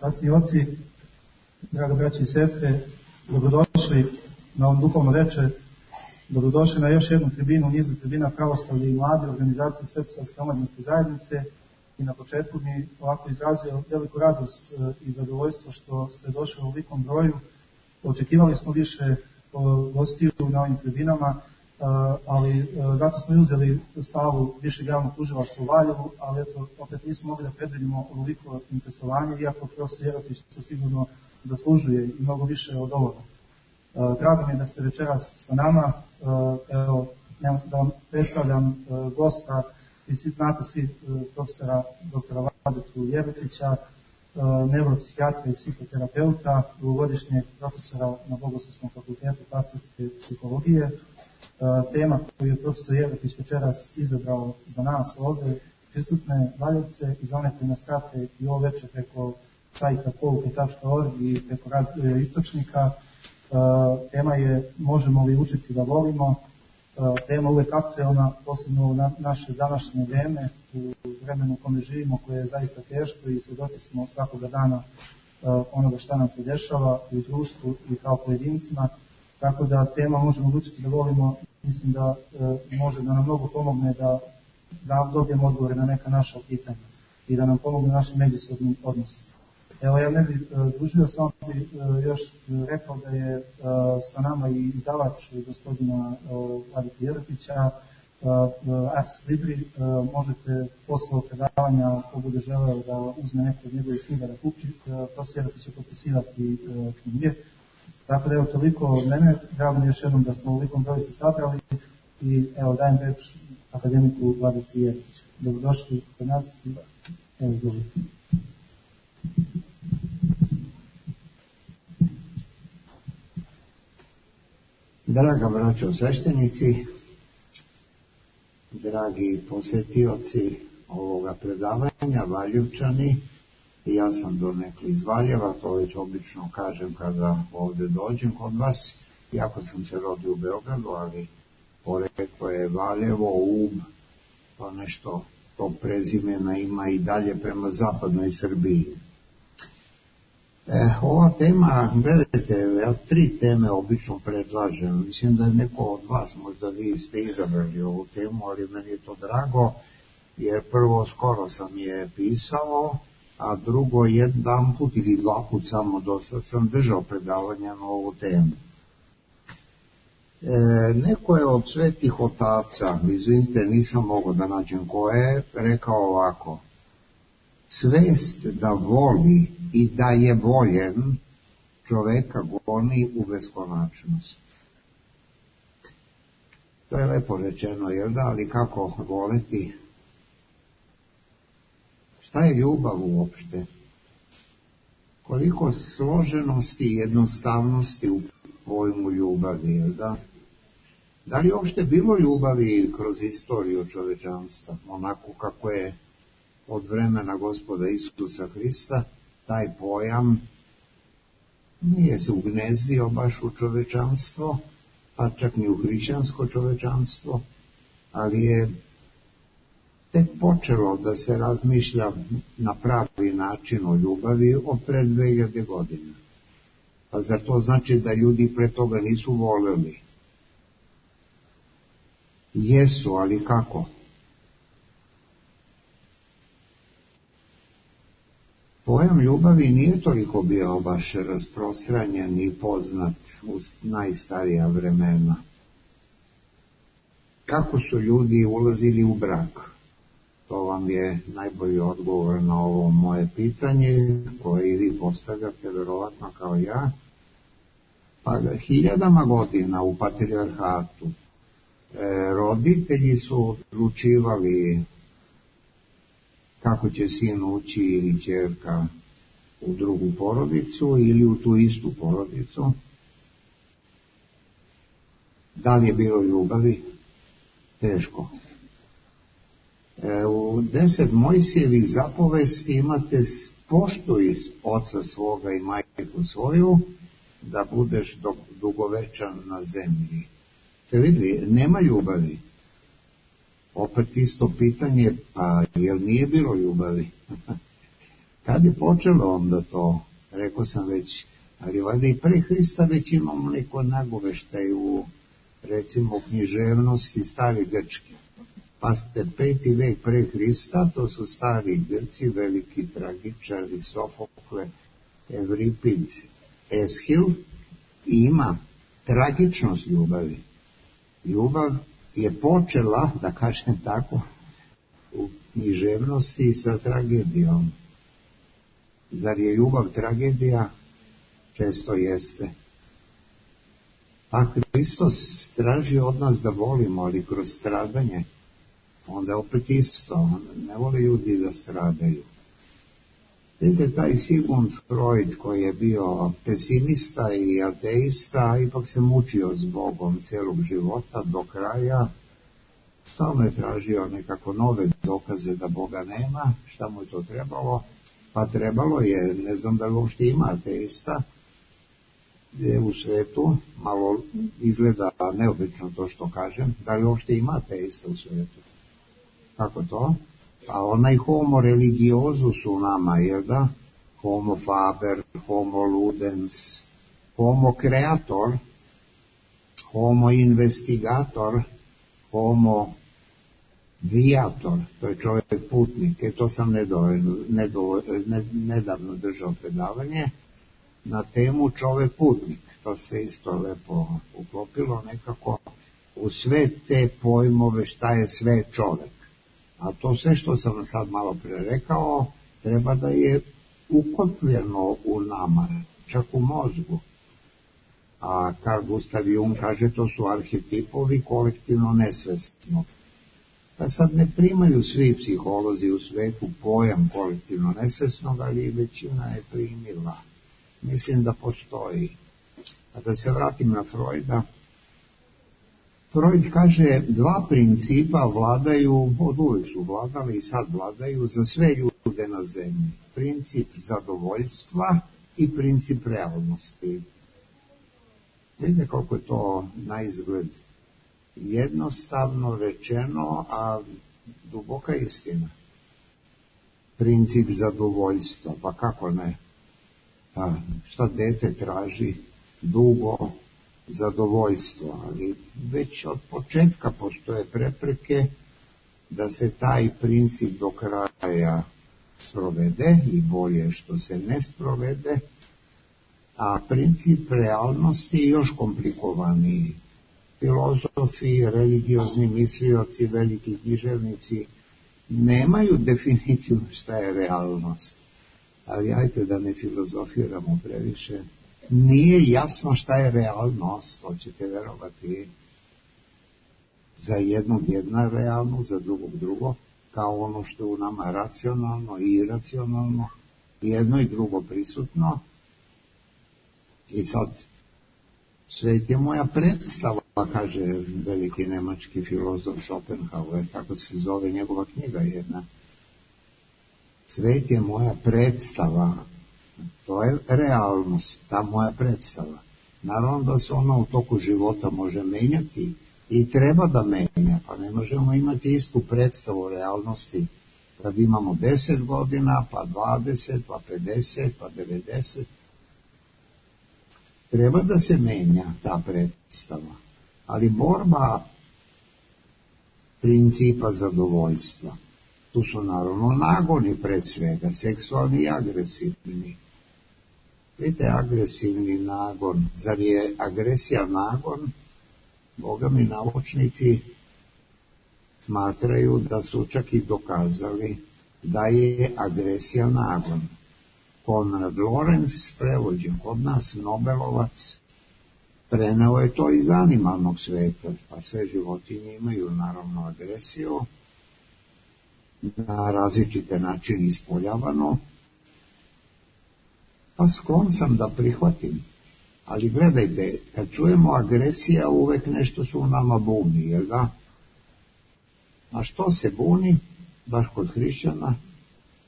Časni oci, draga braći i sestre, dobrodošli na ovom duhovno večer, dobrodošli na još jednu tribinu u nizu tribina Pravoslavlje i mlade organizacije Svetosavske omladinske zajednice i na početku mi ovako izrazio veliku radost i zadovoljstvo što ste došli u ovolikom broju. Očekivali smo više gostiju na ovim tribinama, ali zato smo i uzeli salu višeg javnog tužilaštva u Valjevu, ali eto, opet nismo mogli da predvidimo ovoliko interesovanje, iako profesor Jeretić to sigurno zaslužuje i mnogo više od ovoga. Drago mi je da ste večeras sa nama. Evo, da vam predstavljam gosta, vi svi znate profesora doktora Vladetu Jeretića, neuropsihijatra i psihoterapeuta, dugogodišnjeg profesora na Bogoslovskom fakultetu pastorske psihologije. Tema koju je profesor Jeretić večeras izabrao za nas ovdje, prisutne Valjevce i za one koji nas prate i ovo večer preko sajta pouke.org i preko istočnika. Tema je možemo li učiti da volimo. Tema uvek aktuelna, posebno u naše današnje vreme, u vremenu u kome živimo, koje je zaista teško i svjedoci smo svakoga dana onoga šta nam se dešava u društvu i kao pojedincima. Tako da tema možemo učiti da volimo, mislim da može da nam mnogo pomogne da dobijemo odgovore na neka naša pitanja i da nam pomogne našim međusobnim odnosima. Evo, ja ne bih dužio, samo bih još rekao da je sa nama i izdavač gospodina Vladeta Jeretića, Ars Libri. Možete posle ovog predavanja, ako bude želeo da uzme neko od njegovih knjiga da kupi, profesor Jeretić će potpisivati knjige. Tako da evo toliko od mene, drago mi još jednom da smo u velikom broju se sabrali i evo dajem reč akademiku Vladeti Jeretiću. Dobrodošli kod nas i evo izvolite. Draga braćo sveštenici, dragi posjetioci ovoga predavanja, Valjevčani, ja sam donekle iz Valjeva, to već obično kažem kada ovdje dođem kod vas, iako sam se rodio u Beogradu, ali poreklo je Valjevo, Ub, pa nešto tog prezimena ima i dalje prema zapadnoj Srbiji. Ova tema, gledajte, ja 3 teme obično predlažem. Mislim da je neko od vas, možda vi ste izabrali ovu temu, ali meni je to drago, jer prvo skoro sam je pisao, a drugo jedan put ili 2 put samo dosad sam držao predavanja na ovu temu. Neko je od svetih otaca, izvinite, nisam mogao da nađem ko je, rekao ovako: svest da voli i da je voljen čoveka goni u beskonačnost. To je lepo rečeno, jer da, ali kako voleti? Šta je ljubav uopšte? Koliko složenosti i jednostavnosti u pojmu ljubavi, jer da? Da li uopšte bilo ljubavi kroz istoriju čovečanstva, onako kako je od vremena Gospoda Isusa Hrista, taj pojam nije se ugnezdio baš u čovečanstvo, pa čak ni u hrišćansko čovečanstvo, ali je tek počelo da se razmišlja na pravi način o ljubavi od pred 2000 godina. Pa zar to znači da ljudi pre toga nisu voleli? Jesu, ali kako? Pojam ljubavi nije toliko bio baš rasprostranjen i poznat u najstarija vremena. Kako su ljudi ulazili u brak? To vam je najbolji odgovor na ovo moje pitanje, koje i vi postavljate, verovatno kao ja. Pa 1000 godina u patrijarhatu roditelji su odlučivali kako će sin ući ili ćerka u drugu porodicu ili u tu istu porodicu. Da li je bilo ljubavi? Teško. U 10 Mojsijevih zapovesti imate: poštuj oca svoga i majku svoju, da budeš dugovečan na zemlji. Ste vidjeli, nema ljubavi. Opet isto pitanje, pa jel nije bilo ljubavi? Kad je počelo onda to, rekao sam već, ali valjda i pre Hrista već imamo neko nagoveštaj u, recimo, u književnosti stari Grčke. Pa ste 5. vek pre Hrista, to su stari Grci, veliki tragičari, Sofokle, Evripid, Eshil, i ima tragičnost ljubavi. Ljubav je počela, da kažem tako, u književnosti sa tragedijom. Zar je ljubav tragedija? Često jeste. A Hristos traži od nas da volimo, ali kroz stradanje. Onda je opet isto, ne vole ljudi da stradaju. Vidite, taj Sigmund Freud, koji je bio pesimista i ateista, ipak se mučio s Bogom cijelog života do kraja. Stalno je tražio nekako nove dokaze da Boga nema. Šta mu je to trebalo? Pa trebalo je, ne znam da li uopšte ima ateista, gdje u svetu, malo izgleda neobično to što kažem, da li uopšte ima ateista u svetu. Kako to? Pa onaj homo religiozus u nama, jer da? Homo faber, homo ludens, homo kreator, homo investigator, homo viator, to je čovjek putnik. To sam nedavno držao predavanje na temu čovjek putnik. To se isto lepo uklopilo nekako u sve te pojmove šta je sve čovjek. A to sve što sam sad malo pre rekao, treba da je ukotljeno u nama, čak u mozgu. A Carl Gustav Jung kaže, to su arhetipovi kolektivno nesvesnog. Pa sad ne primaju svi psiholozi u svetu pojam kolektivno nesvesnog, ali većina je primila. Mislim da postoji. A da se vratim na Freuda, Freud kaže, dva principa vladaju, od uvijek su vladali i sad vladaju za sve ljude na zemlji. Princip zadovoljstva i princip realnosti. Vidite koliko je to na izgled jednostavno rečeno, a duboka istina. Princip zadovoljstva, pa kako ne? Pa šta dete traži? Dugo zadovoljstvo, ali već od početka postoje prepreke da se taj princip do kraja sprovede i bolje što se ne sprovede, a princip realnosti je još komplikovaniji. Filozofi, religiozni mislioci, veliki književnici nemaju definiciju šta je realnost. Ali ajte da ne filozofiramo previše. Nije jasno šta je realnost, to ćete verovati. Za jednog jedna realno, za drugog drugo, kao ono što je u nama racionalno i iracionalno, jedno i drugo prisutno. I sad, svet je moja predstava, kaže veliki nemački filozof Schopenhauer, tako se zove njegova knjiga jedna. Svet je moja predstava, to je realnost, ta moja predstava. Naravno da se ona u toku života može menjati i treba da menja, pa ne možemo imati istu predstavu realnosti kad imamo 10 godina, pa 20, pa 50, pa 90. Treba da se menja ta predstava, ali borba principa zadovoljstva. Tu su naravno nagoni pred svega, seksualni i agresivni. Vidite, agresivni nagon, zar je agresija nagon? Boga mi naučnici smatraju da su čak i dokazali da je agresija nagon. Konrad Lorenz, prevođen kod nas, Nobelovac, preneo je to iz animalnog sveta, pa sve životinje imaju naravno agresiju, na različite načine ispoljavano, pa sklon sam da prihvatim. Ali gledajte, kad čujemo agresija, uvek nešto su u nama buni, jel da? A što se buni, baš kod hrišćana?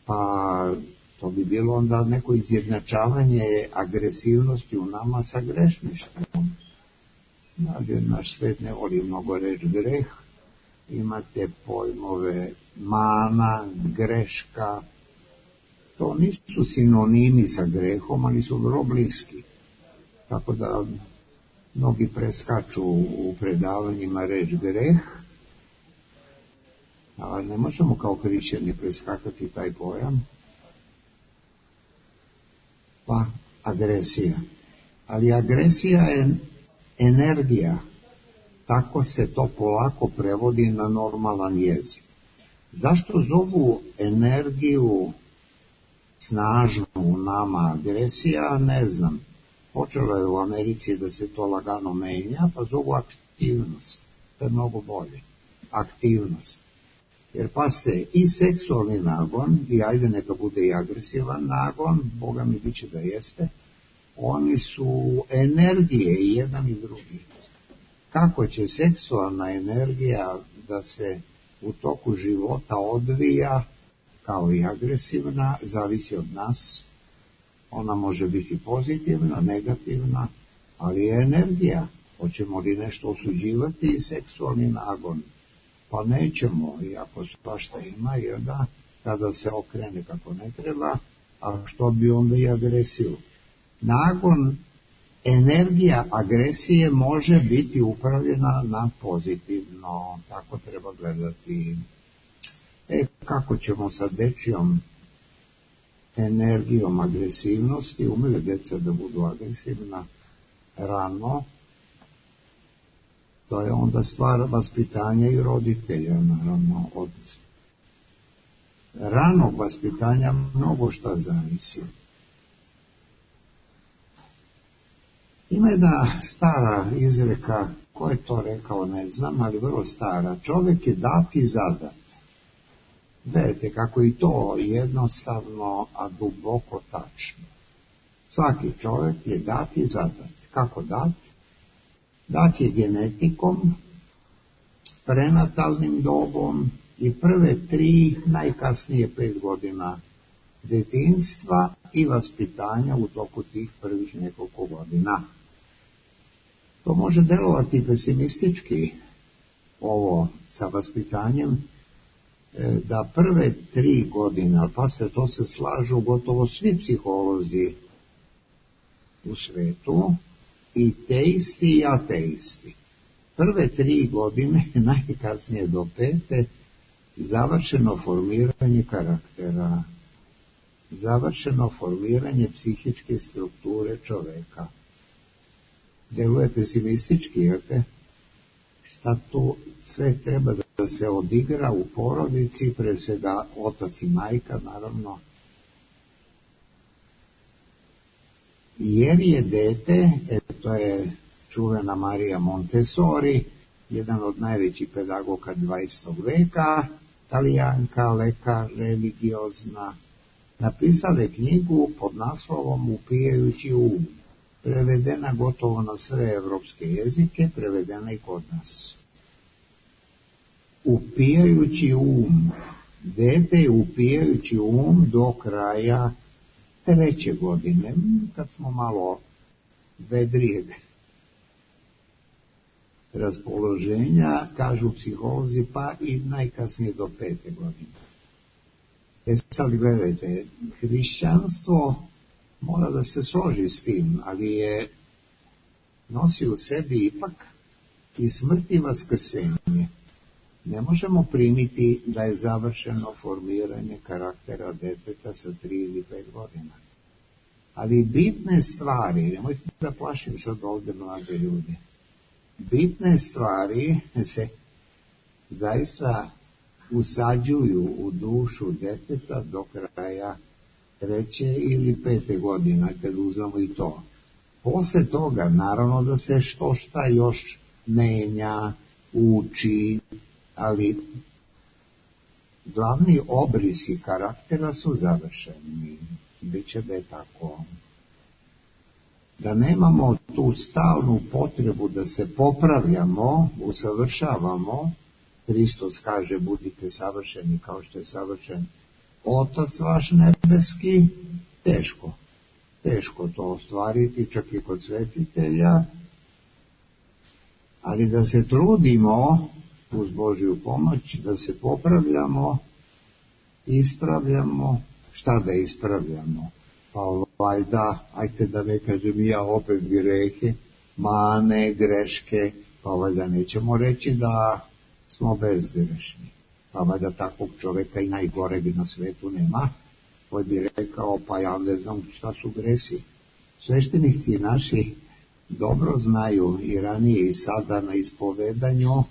Pa to bi bilo onda neko izjednačavanje agresivnosti u nama sa grešništvom. Naš svet ne voli mnogo reći greh, imate pojmove mana, greška, To nisu sinonimi sa grehom, ali su vrlo bliski. Tako da mnogi preskaču u predavanjima reč greh, a ne možemo kao hrišćani preskakati taj pojam. Pa agresija. Ali agresija je energija. Tako se to polako prevodi na normalan jezik. Zašto zovu energiju snažnu u nama agresija, ne znam. Počelo je u Americi da se to lagano menja, pa zovu aktivnost. To je mnogo bolje. Aktivnost. Jer pazite, i seksualni nagon, i ajde neka bude i agresivan nagon, Boga mi biće da jeste, oni su energije i jedan i drugi. Kako će seksualna energija da se u toku života odvija kao i agresivna, zavisi od nas. Ona može biti pozitivna, negativna, ali je energija. Hoćemo li nešto osuđivati i seksualni nagon? Pa nećemo, iako svašta ima, jer da, kada se okrene kako ne treba, a što bi onda i agresiju? Nagon, energija agresije može biti upravljena na pozitivno, tako treba gledati. Kako ćemo sa dečijom energijom agresivnosti, umeju djeca da budu agresivna rano, to je onda stvar vaspitanja i roditelja, naravno, od ranog vaspitanja mnogo šta zavisi. Ima jedna stara izreka, ko je to rekao ne znam, ali vrlo stara, čovjek je dat i zadat. Gledajte kako i to jednostavno, a duboko tačno. Svaki čovjek je dat i zadat. Kako dat? Dat je genetikom, prenatalnim dobom i prve 3, najkasnije 5 godina djetinjstva i vaspitanja u toku tih prvih nekoliko godina. To može delovati pesimistički, ovo sa vaspitanjem, da prve 3 godine, ali pasite, to se slažu gotovo svi psiholozi u svetu, i teisti i ateisti. Prve 3 godine, najkasnije do 5, završeno formiranje karaktera, završeno formiranje psihičke strukture čoveka. Deluje pesimistički, jer šta tu sve treba da se odigra u porodici, pre svega otac i majka, naravno, jer je dete, to je čuvena Marija Montessori, jedan od najvećih pedagoga 20. veka, Talijanka, lekar, religiozna, napisala je knjigu pod naslovom Upijajući um, prevedena gotovo na sve evropske jezike, prevedena i kod nas. Upijajući um, dete je upijajući um do kraja 3. godine, kad smo malo vedrijeg raspoloženja, kažu psiholozi, pa i najkasnije do 5. godine. Sad gledajte, hrišćanstvo mora da se složi s tim, ali je nosi u sebi ipak i smrt i vaskrsenje. Ne možemo primiti da je završeno formiranje karaktera deteta sa 3 ili 5 godina. Ali bitne stvari, nemojte da plašim sad ovdje mlade ljude, bitne stvari se zaista usađuju u dušu deteta do kraja 3. ili 5. godine, kad uzmemo i to. Posle toga, naravno da se što šta još menja, uči, ali glavni obrisi karaktera su završeni. Biće da je tako. Da nemamo tu stalnu potrebu da se popravljamo, usavršavamo, Hristos kaže budite savršeni kao što je savršen Otac vaš nebeski, teško to ostvariti, čak i kod svetitelja, ali da se trudimo uz Božju pomoć, da se popravljamo, ispravljamo, šta da ispravljamo? Pa valjda, ajte da ne kažem ja opet grehe, mane, greške, pa valjda nećemo reći da smo bezgrešni. Pa valjda takvog čoveka i najgoreg na svetu nema, koji bi rekao, pa ja ne znam šta su gresi. Sveštenici naši dobro znaju i ranije i sada na ispovedanju.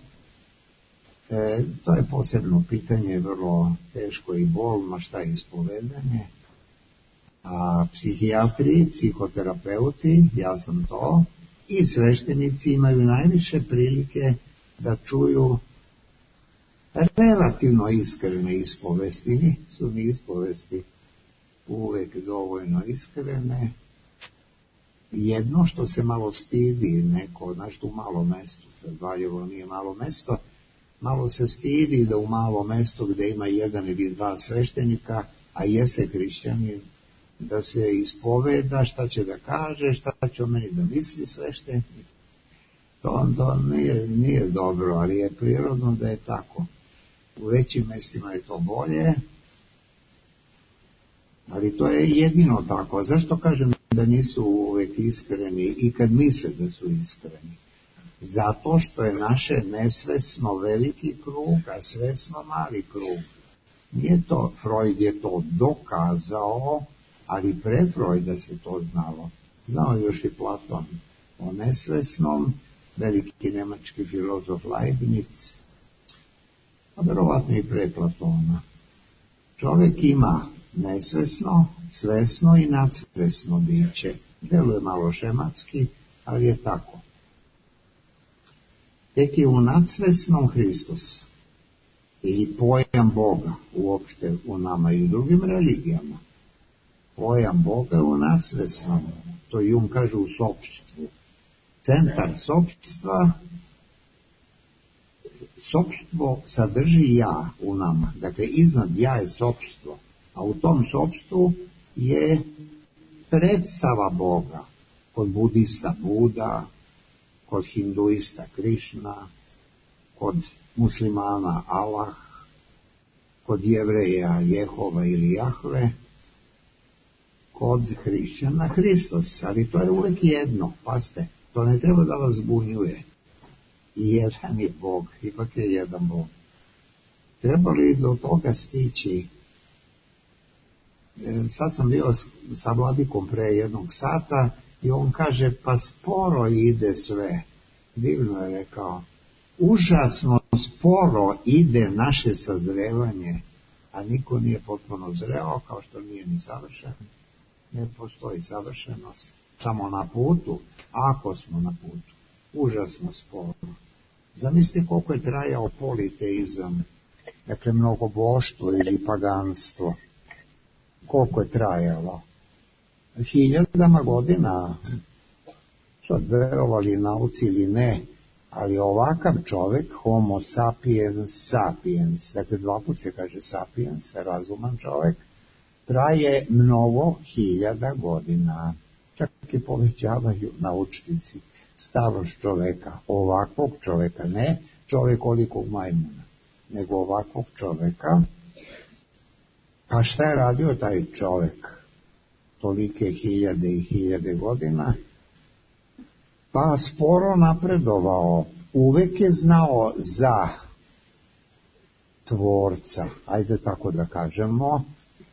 To je posebno pitanje, vrlo teško i bolno, šta je ispovedanje. A psihijatri, psihoterapeuti, ja sam to, i sveštenici imaju najviše prilike da čuju relativno iskrene ispovesti. Su ni ispovesti uvek dovoljno iskrene. Jedno što se malo stidi neko, znaš, u malo mesto, Valjevo nije malo mesto, malo se stidi da u malo mesto gde ima jedan ili dva sveštenika, a jeste hrišćanin, da se ispoveda šta će da kaže, šta će o meni da misli sveštenik. To nije dobro, ali je prirodno da je tako. U većim mestima je to bolje, ali to je jedino tako. A zašto kažem da nisu uvek iskreni i kad misle da su iskreni? Zato što je naše nesvesno veliki krug, a svesno mali krug. Nije to, Freud je to dokazao, ali pre Freuda se to znalo. Znao još i Platon o nesvesnom, veliki nemački filozof Leibniz, a verovatno i pre Platona. Čovjek ima nesvesno, svesno i nadsvesno biće. Deluje malo šematski, ali je tako. Tek je u nadsvesnom Hristos, ili pojam Boga, uopšte u nama i u drugim religijama. Pojam Boga je u nadsvesnom, to Jung kaže u sopštvu. Centar sopštva, sopštvo sadrži ja u nama, dakle iznad ja je sopštvo, a u tom sopštvu je predstava Boga, kod budista Buda, kod hinduista Krišna, kod muslimana Allah, kod jevreja Jehova ili Jahve, kod hrišćana Hristos, ali to je uvek jedno, pazite, to ne treba da vas zbunjuje. I jedan je Bog, ipak je jedan Bog. Treba li do toga stići? Sad sam bio sa vladikom pre jednog sata i on kaže, pa sporo ide sve. Divno je rekao, užasno sporo ide naše sazrevanje, a niko nije potpuno zreo, kao što nije ni savršen. Ne postoji savršenost, samo na putu, ako smo na putu. Užasno sporo. Zamislite koliko je trajao politeizam, dakle mnogoboštvo ili paganstvo. Koliko je trajalo? 1000 godina, sad verovali nauci ili ne, ali ovakav čovjek, homo sapiens sapiens, dakle 2 puta se kaže sapiens, razuman čovjek, traje mnogo 1000 godina. Čak i povećavaju naučnici starost čoveka, ovakvog čoveka, ne čovekolikog majmuna, nego ovakvog čoveka. Pa šta je radio taj čovek tolike 1000 i 1000 godina? Pa sporo napredovao, uvek je znao za tvorca, ajde tako da kažemo,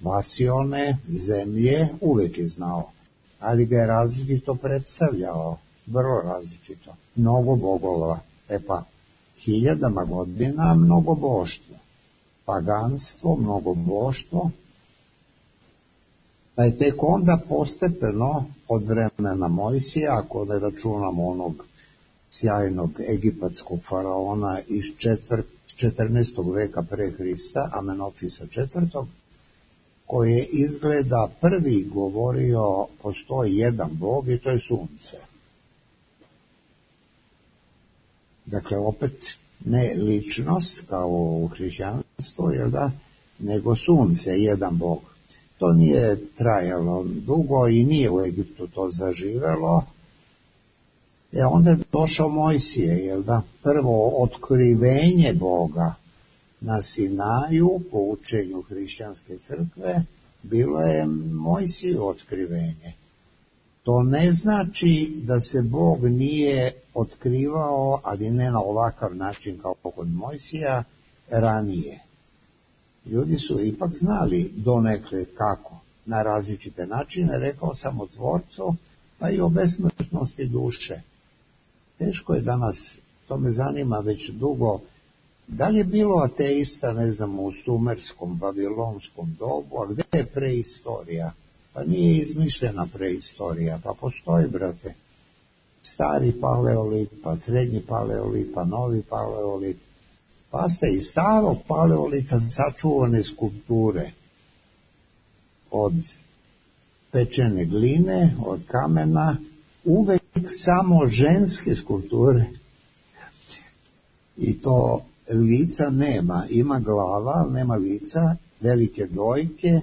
vasione, zemlje, uvek je znao, ali ga je različito predstavljao, vrlo različito, mnogo bogova. Pa 1000 godina mnogoboštvo, paganstvo, mnogoboštvo, pa je tek onda postepeno od vremena Mojsija, ako ne računamo onog sjajnog egipatskog faraona iz 14. veka pre Hrista, Amenofisa IV, koji je izgleda prvi govorio postoji jedan Bog i to je sunce. Dakle, opet ne ličnost kao u hrišćanstvu, jel da, nego sunce, jedan Bog. To nije trajalo dugo i nije u Egiptu to zaživelo. Onda je došao Mojsije, jel da, prvo otkrivenje Boga na Sinaju po učenju hrišćanske crkve, bilo je Mojsiju otkrivenje. To ne znači da se Bog nije otkrivao, ali ne na ovakav način kao kod Mojsija, ranije. Ljudi su ipak znali donekle kako, na različite načine, rekao sam o Tvorcu, pa i o besmrtnosti duše. Teško je danas, to me zanima već dugo, da li je bilo ateista, ne znam, u sumerskom, babilonskom dobu, a gde je preistorija? Pa nije izmišljena preistorija, pa postoji, brate, stari paleolit, pa srednji paleolit, pa novi paleolit, pa ste iz starog paleolita sačuvane skulpture od pečene gline, od kamena, uvek samo ženske skulpture. I to lica nema, ima glava, ali nema lica, velike dojke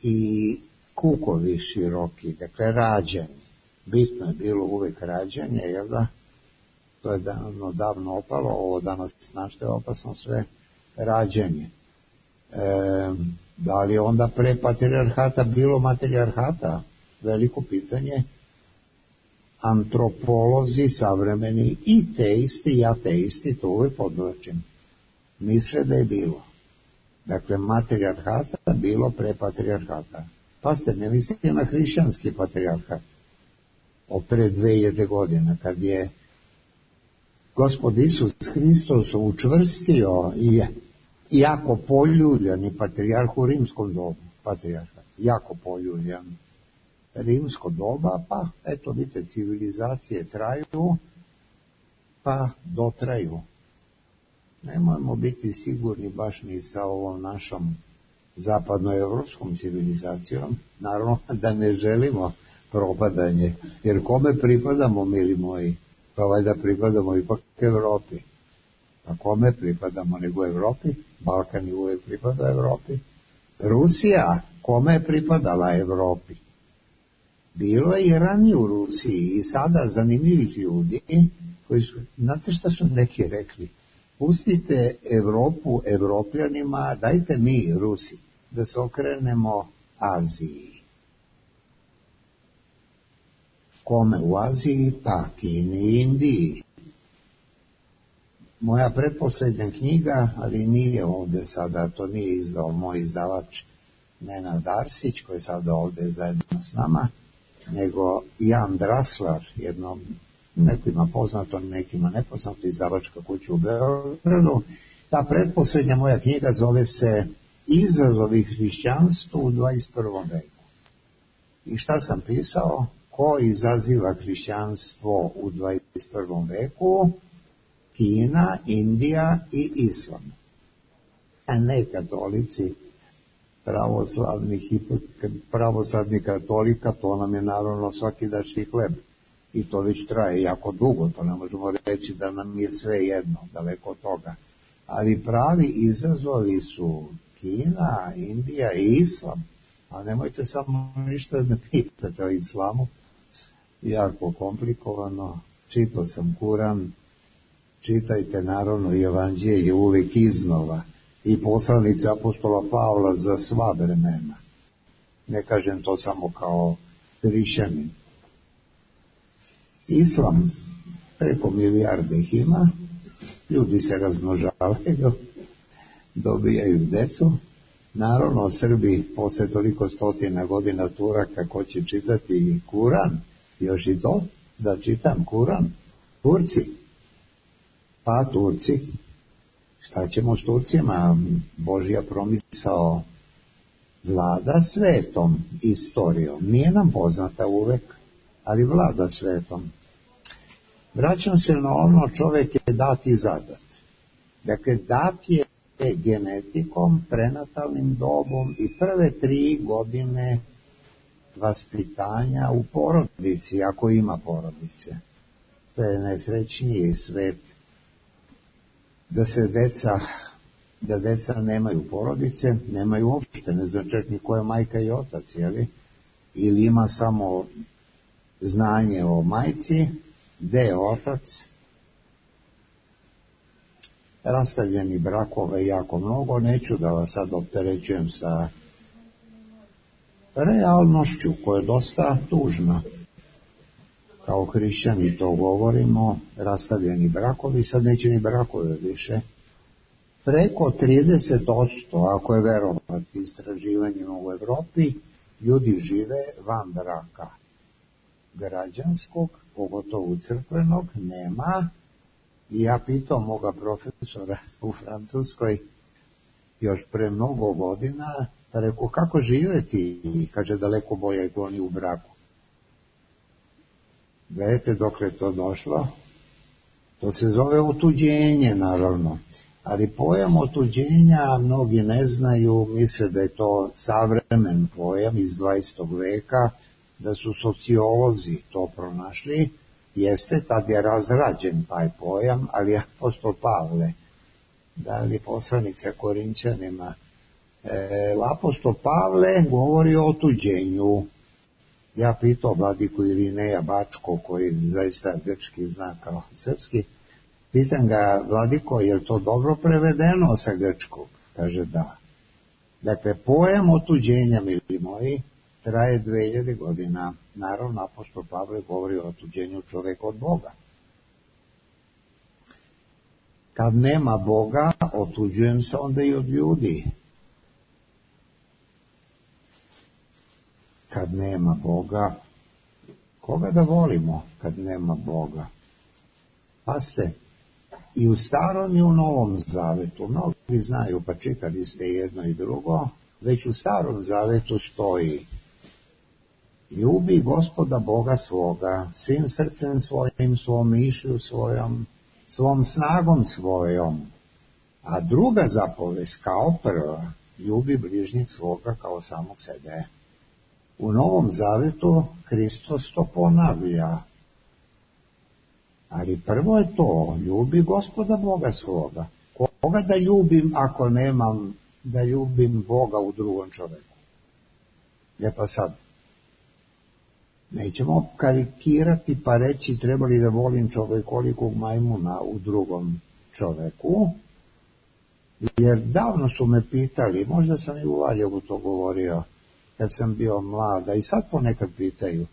i kukovi široki, dakle rađeni. Bitno je bilo uvek rađanje, jel da? To je davno opalo, ovo danas znašte je opasno sve rađanje. Da li je onda pre patrijarhata bilo matrijarhata? Veliko pitanje. Antropolozi savremeni i teisti i ateisti, to uvek podvlačim, misle da je bilo. Dakle, matrijarhata bilo pre patrijarhata. Pa ste ne mislili na hrišćanski patrijarhat od pre 2000 godina, kad je Gospod Isus Hristos učvrstio i jako poljuljan i patrijarh u rimskom dobu, patrijarhat, jako poljuljan. Rimsko doba, pa eto vidite, civilizacije traju, pa dotraju. Nemojmo biti sigurni baš ni sa ovom našom zapadnoevropskom civilizacijom, naravno da ne želimo propadanje, jer kome pripadamo, mili moji? Pa valjda pripadamo ipak Evropi. Pa kome pripadamo nego Evropi? Balkan je uvijek pripada Evropi. Rusija, kome je pripadala Evropi? Bilo je i ranije u Rusiji i sada zanimljivih ljudi koji su, znate šta su neki rekli? Pustite Evropu Evropljanima, dajte mi, Rusi, da se okrenemo Aziji. Kome u Aziji? Pa Kini i Indiji. Moja pretposlednja knjiga, ali nije ovdje sada, to nije izdao moj izdavač Nenad Arsić, koji je sada ovdje zajedno s nama, nego Jan Draslar, jednom nekima poznato, nekima nepoznato, izdavačka kuća u Beogradu. Ta pretposljednja moja knjiga zove se Izazovi hrišćanstvu u 21. veku. I šta sam pisao? Ko izaziva hrišćanstvo u 21. veku? Kina, Indija i Islam. A ne katolici, pravoslavni katolika, to nam je naravno svakidašnji hleb. I to već traje jako dugo, to ne možemo reći da nam je sve jedno, daleko od toga. Ali pravi izazovi su Kina, Indija i Islam. A nemojte samo ništa da me pitate o islamu. Jako komplikovano. Čitao sam Kuran. Čitajte naravno i Evanđelje uvijek iznova. I poslanice apostola Pavla za sva vremena. Ne kažem to samo kao hrišćanin. Islam, preko milijarde ih ima, ljudi se razmnožavaju, dobijaju decu. Naravno, Srbi posle toliko stotina godina Turaka, ko će čitati Kuran, još i to, da čitam Kuran, Turci. Pa Turci, šta ćemo s Turcima? Božja promisao vlada svetom istorijom. Nije nam poznata uvek, ali vlada svetom. Vraćam se na ono, čovjek je dat i zadat. Dakle, dat je genetikom, prenatalnim dobom i prve 3 godine vaspitanja u porodici, ako ima porodice. To je najsrećniji svet. Da deca nemaju porodice, nemaju uopšte, ne zna čak ni ko je majka i otac, jeli? Ili ima samo znanje o majci, gde je otac. Rastavljeni brakova je jako mnogo, neću da vas sad opterećujem sa realnošću koja je dosta tužna. Kao hrišćani to govorimo, rastavljeni brakovi, sad neće ni brakove više. Preko 30%, ako je verovati istraživanjima u Evropi, ljudi žive van braka. Građanskog, pogotovo crkvenog, nema. I ja pitao moga profesora u Francuskoj još pre mnogo godina, pa rekao, kako živeti? I kaže, daleko bolje nego oni u braku. Gledajte dokle je to došlo. To se zove otuđenje, naravno. Ali pojam otuđenja mnogi ne znaju, misle da je to savremen pojam iz 20. veka, da su sociolozi to pronašli. Jeste, tad je razrađen taj pojam, ali apostol Pavle, da li poslanica Korinćanima, apostol Pavle govori o otuđenju. Ja pitao vladiku Irineja Bačko, koji zaista grčki zna kao srpski, pitam ga, vladiko, je li to dobro prevedeno sa grčkog? Kaže da. Dakle, pojam otuđenja, mili moji, traje 2000 godina. Naravno, apostol Pavle govori o otuđenju čoveka od Boga. Kad nema Boga, otuđujem se onda i od ljudi. Kad nema Boga, koga da volimo kad nema Boga? Pazite, i u Starom i u Novom Zavetu, mnogi znaju, pa čitali ste jedno i drugo, već u Starom Zavetu stoji: ljubi Gospoda Boga svoga, svim srcem svojim, svom mišlju svojom, svom snagom svojom. A druga zapovest, kao prva, ljubi bližnjeg svoga kao samog sebe. U Novom Zavetu Hristos to ponavlja. Ali prvo je to, ljubi Gospoda Boga svoga. Koga da ljubim ako nemam da ljubim Boga u drugom čoveku? Pa sad, nećemo karikirati pa reći trebali da volim čovekolikog majmuna u drugom čoveku, jer davno su me pitali, možda sam i u Valjevu to govorio, kad sam bio mlada, i sad ponekad pitaju: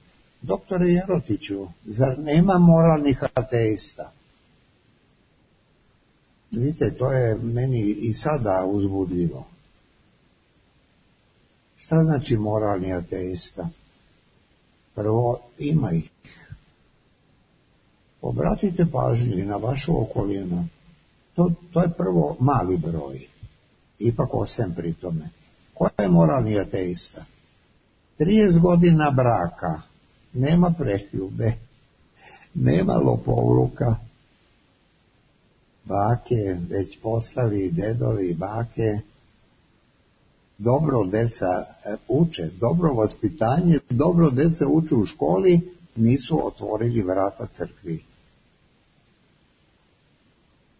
doktore Jerotiću, zar nema moralnih ateista? Vidite, to je meni i sada uzbudljivo. Šta znači moralni ateista? Prvo, ima ih. Obratite pažnju i na vašu okolinu. To je prvo mali broj. Ipak ostajem pri tome. Ko je moralni ateista? 30 godina braka, nema preljube, nema lopovluka, bake već postali dedovi i bake, dobro deca uče, dobro vaspitanje, dobro deca uče u školi, nisu otvorili vrata crkvi.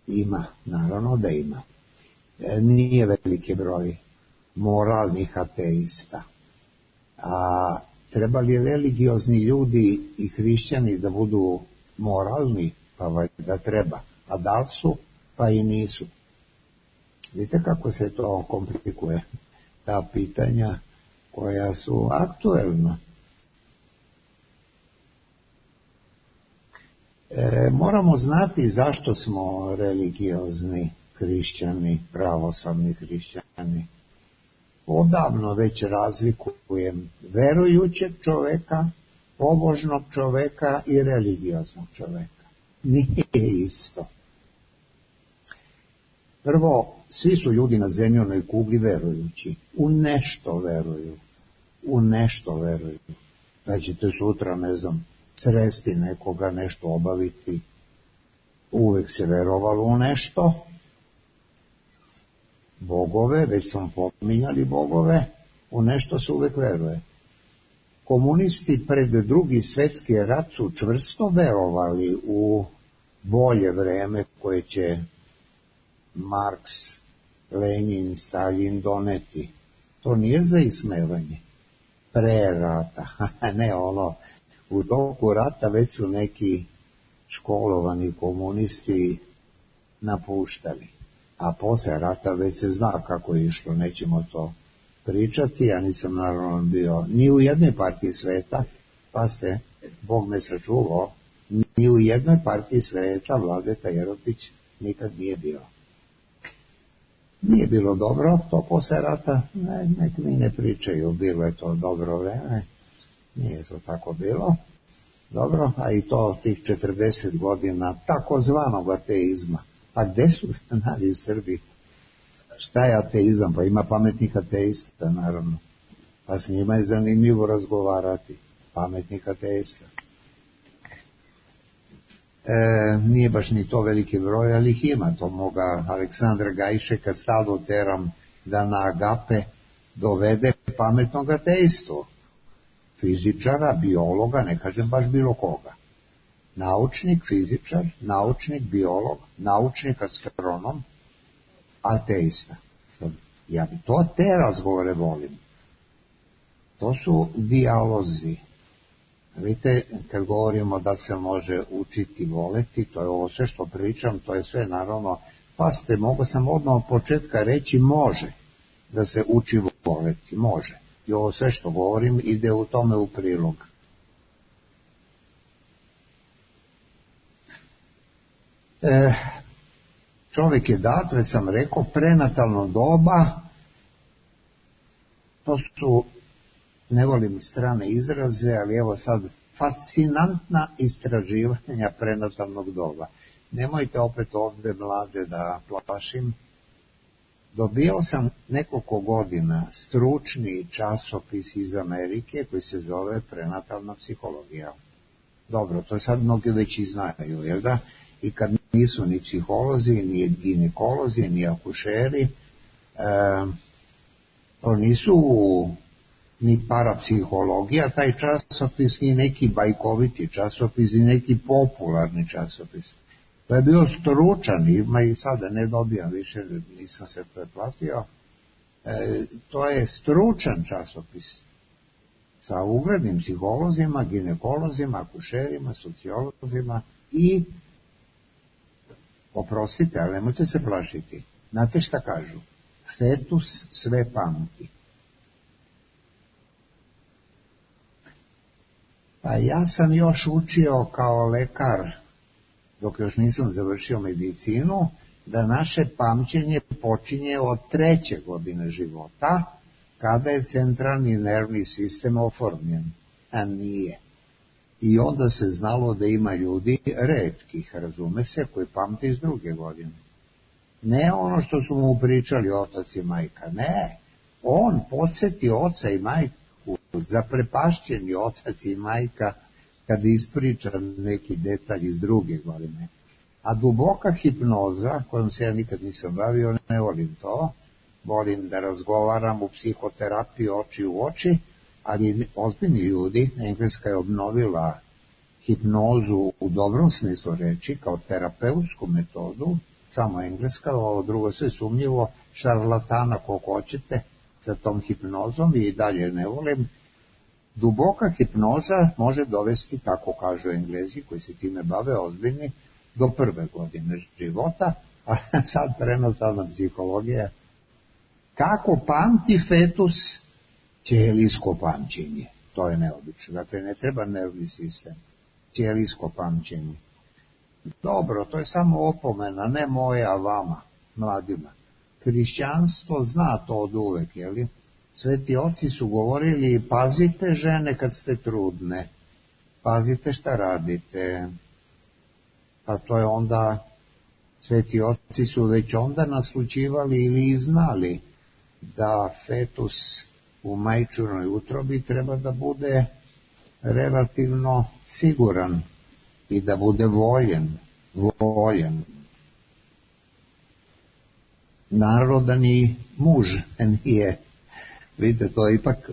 Ima, naravno da ima. Nije veliki broj moralnih ateista. A treba li religiozni ljudi i hrišćani da budu moralni? Pa valjda treba. A da li su? Pa i nisu. Vidite kako se to komplikuje, ta pitanja koja su aktuelna. Moramo znati zašto smo religiozni hrišćani, pravoslavni hrišćani. Odavno već razlikujem verujućeg čoveka, pobožnog čoveka i religioznog čoveka. Nije isto. Prvo, svi su ljudi na zemljinoj kugli verujući. U nešto veruju. U nešto veruju. Da ćete sutra, ne znam, sresti nekoga, nešto obaviti. Uvek se verovalo u nešto. Bogove, već smo pominjali bogove, u nešto se uvek veruje. Komunisti pred Drugi svjetski rat su čvrsto verovali u bolje vreme koje će Marks, Lenin, Stalin doneti. To nije za ismevanje. Pre rata, ne ono, u toku rata već su neki školovani komunisti napuštali. A posle rata već se zna kako je išlo, nećemo to pričati, ja nisam naravno bio ni u jednoj partiji sveta, pa ste, Bog me sačuvao, ni u jednoj partiji sveta Vladeta Jerotić nikad nije bio. Nije bilo dobro to posle rata, nek mi ne pričaju, bilo je to dobro vreme, nije to tako bilo. Dobro, a i to tih 40 godina takozvanog ateizma. Pa gde su znali Srbi? Šta je ateizam? Pa ima pametnih ateista, naravno. Pa s njima je zanimljivo razgovarati. Pametnih ateista. Nije baš ni to veliki broj, ali ih ima. To moga Aleksandra Gajšeka stalno teram da na agape dovede pametnog ateistu. Fizičara, biologa, ne kažem baš bilo koga. Naučnik, fizičar, naučnik, biolog, naučnik, astronom, ateista. Ja bi te razgovore volim. To su dijalozi. Vidite, kad govorimo da se može učiti voleti, to je ovo sve što pričam, to je sve naravno, pazite, mogu sam odmah od početka reći može da se uči voleti, može. I ovo sve što govorim ide u tome u prilog. Čovjek je dat, već sam rekao, prenatalno doba, to su, ne volim strane izraze, ali evo sad, fascinantna istraživanja prenatalnog doba. Nemojte opet ovdje mlade da plašim. Dobio sam nekoliko godina stručni časopis iz Amerike koji se zove Prenatalna psihologija. Dobro, to sad mnogi već i znaju, jel da? I kad nisu ni psiholozi, ni ginekolozi, ni akušeri, to nisu ni parapsihologija, taj časopis, ni neki bajkoviti časopis, ni neki popularni časopis. To je bio stručan, ima i sada ne dobijam više, nisam se pretplatio, to je stručan časopis sa uglednim psiholozima, ginekolozima, akušerima, sociolozima i, oprostite, ali nemojte se plašiti, znate šta kažu? Fetus sve pamti. Pa ja sam još učio kao lekar, dok još nisam završio medicinu, da naše pamćenje počinje od 3. godine života, kada je centralni nervni sistem oformljen, a nije. I onda se znalo da ima ljudi retkih, razume se, koji pamte iz 2. godine. Ne ono što su mu pričali otac i majka, ne. On podsjeti oca i majku, zaprepašćeni otac i majka, kad ispriča neki detalj iz 2. godine. A duboka hipnoza, kojom se ja nikad nisam bavio, ne volim to, volim da razgovaram u psihoterapiji oči u oči, ali ozbiljni ljudi, Engleska je obnovila hipnozu u dobrom smislu reči, kao terapeutsku metodu, samo Engleska, ovo drugo sve sumnjivo, šarlatana koliko hoćete sa tom hipnozom i dalje ne volim. Duboka hipnoza može dovesti, kako kažu Englezi koji se time bave ozbiljni, do 1. godine života, a sad prenatalna psihologija. Kako pamti fetus? Ćelijsko pamćenje. To je neobično. Dakle, ne treba nervni sistem. Ćelijsko pamćenje. Dobro, to je samo opomena, ne moja vama, mladima. Hrišćanstvo zna to od uvek, jeli? Sveti oci su govorili, pazite žene kad ste trudne, pazite šta radite. Pa to je onda, sveti oci su već onda naslućivali ili znali da fetus u majčinoj utrobi treba da bude relativno siguran i da bude voljen. Narodani muž nije. Vidite, to je ipak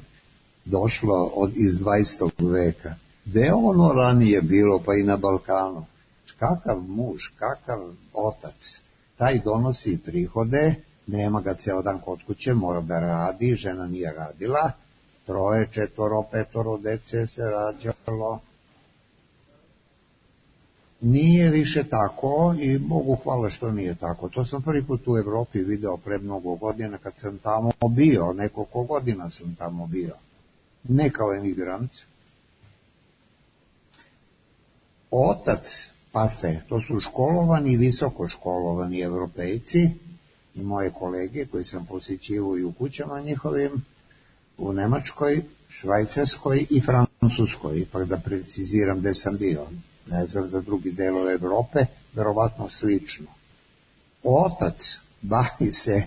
došlo iz 20. veka. Gde je ono ranije bilo, pa i na Balkanu? Kakav muž, kakav otac, taj donosi prihode, nema ga ceo dan kod kuće, mora da radi, žena nije radila, 3, 4, 5 dece se rađalo. Nije više tako i Bogu hvala što nije tako. To sam prvi put u Evropi video pre mnogo godina kad sam tamo bio, nekoliko godina sam tamo bio. Ne kao emigrant. Otac, pazite, to su školovani, visoko školovani Evropejci i moje kolege koji sam posjećivao i u kućama njihovim, u Nemačkoj, Švajcarskoj i Francuskoj, ipak da preciziram gde sam bio. Ne znam za drugi delove Evrope, verovatno slično. Otac bavi se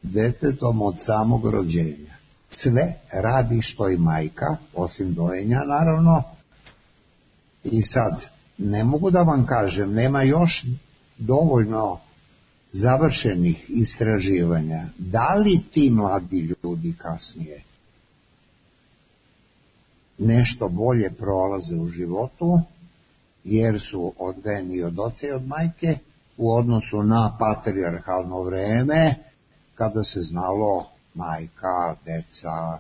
detetom od samog rođenja. Sve radi što i majka, osim dojenja naravno. I sad, ne mogu da vam kažem, nema još dovoljno završenih istraživanja. Da li ti mladi ljudi kasnije nešto bolje prolaze u životu, jer su odgajeni od oca i od majke, u odnosu na patrijarhalno vreme, kada se znalo majka, deca,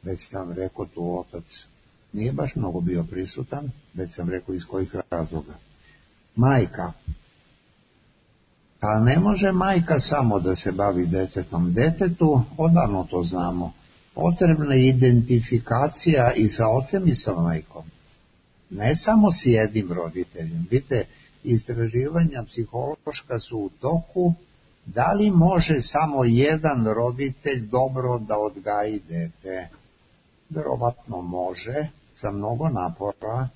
već sam rekao tu otac nije baš mnogo bio prisutan, već sam rekao iz kojih razloga. Majka. A ne može majka samo da se bavi detetom. Detetu, odavno to znamo, potrebna je identifikacija i sa ocem i sa majkom. Ne samo s jednim roditeljem. Vidite, istraživanja psihološka su u toku. Da li može samo jedan roditelj dobro da odgaji dete? Verovatno može, sa mnogo napora.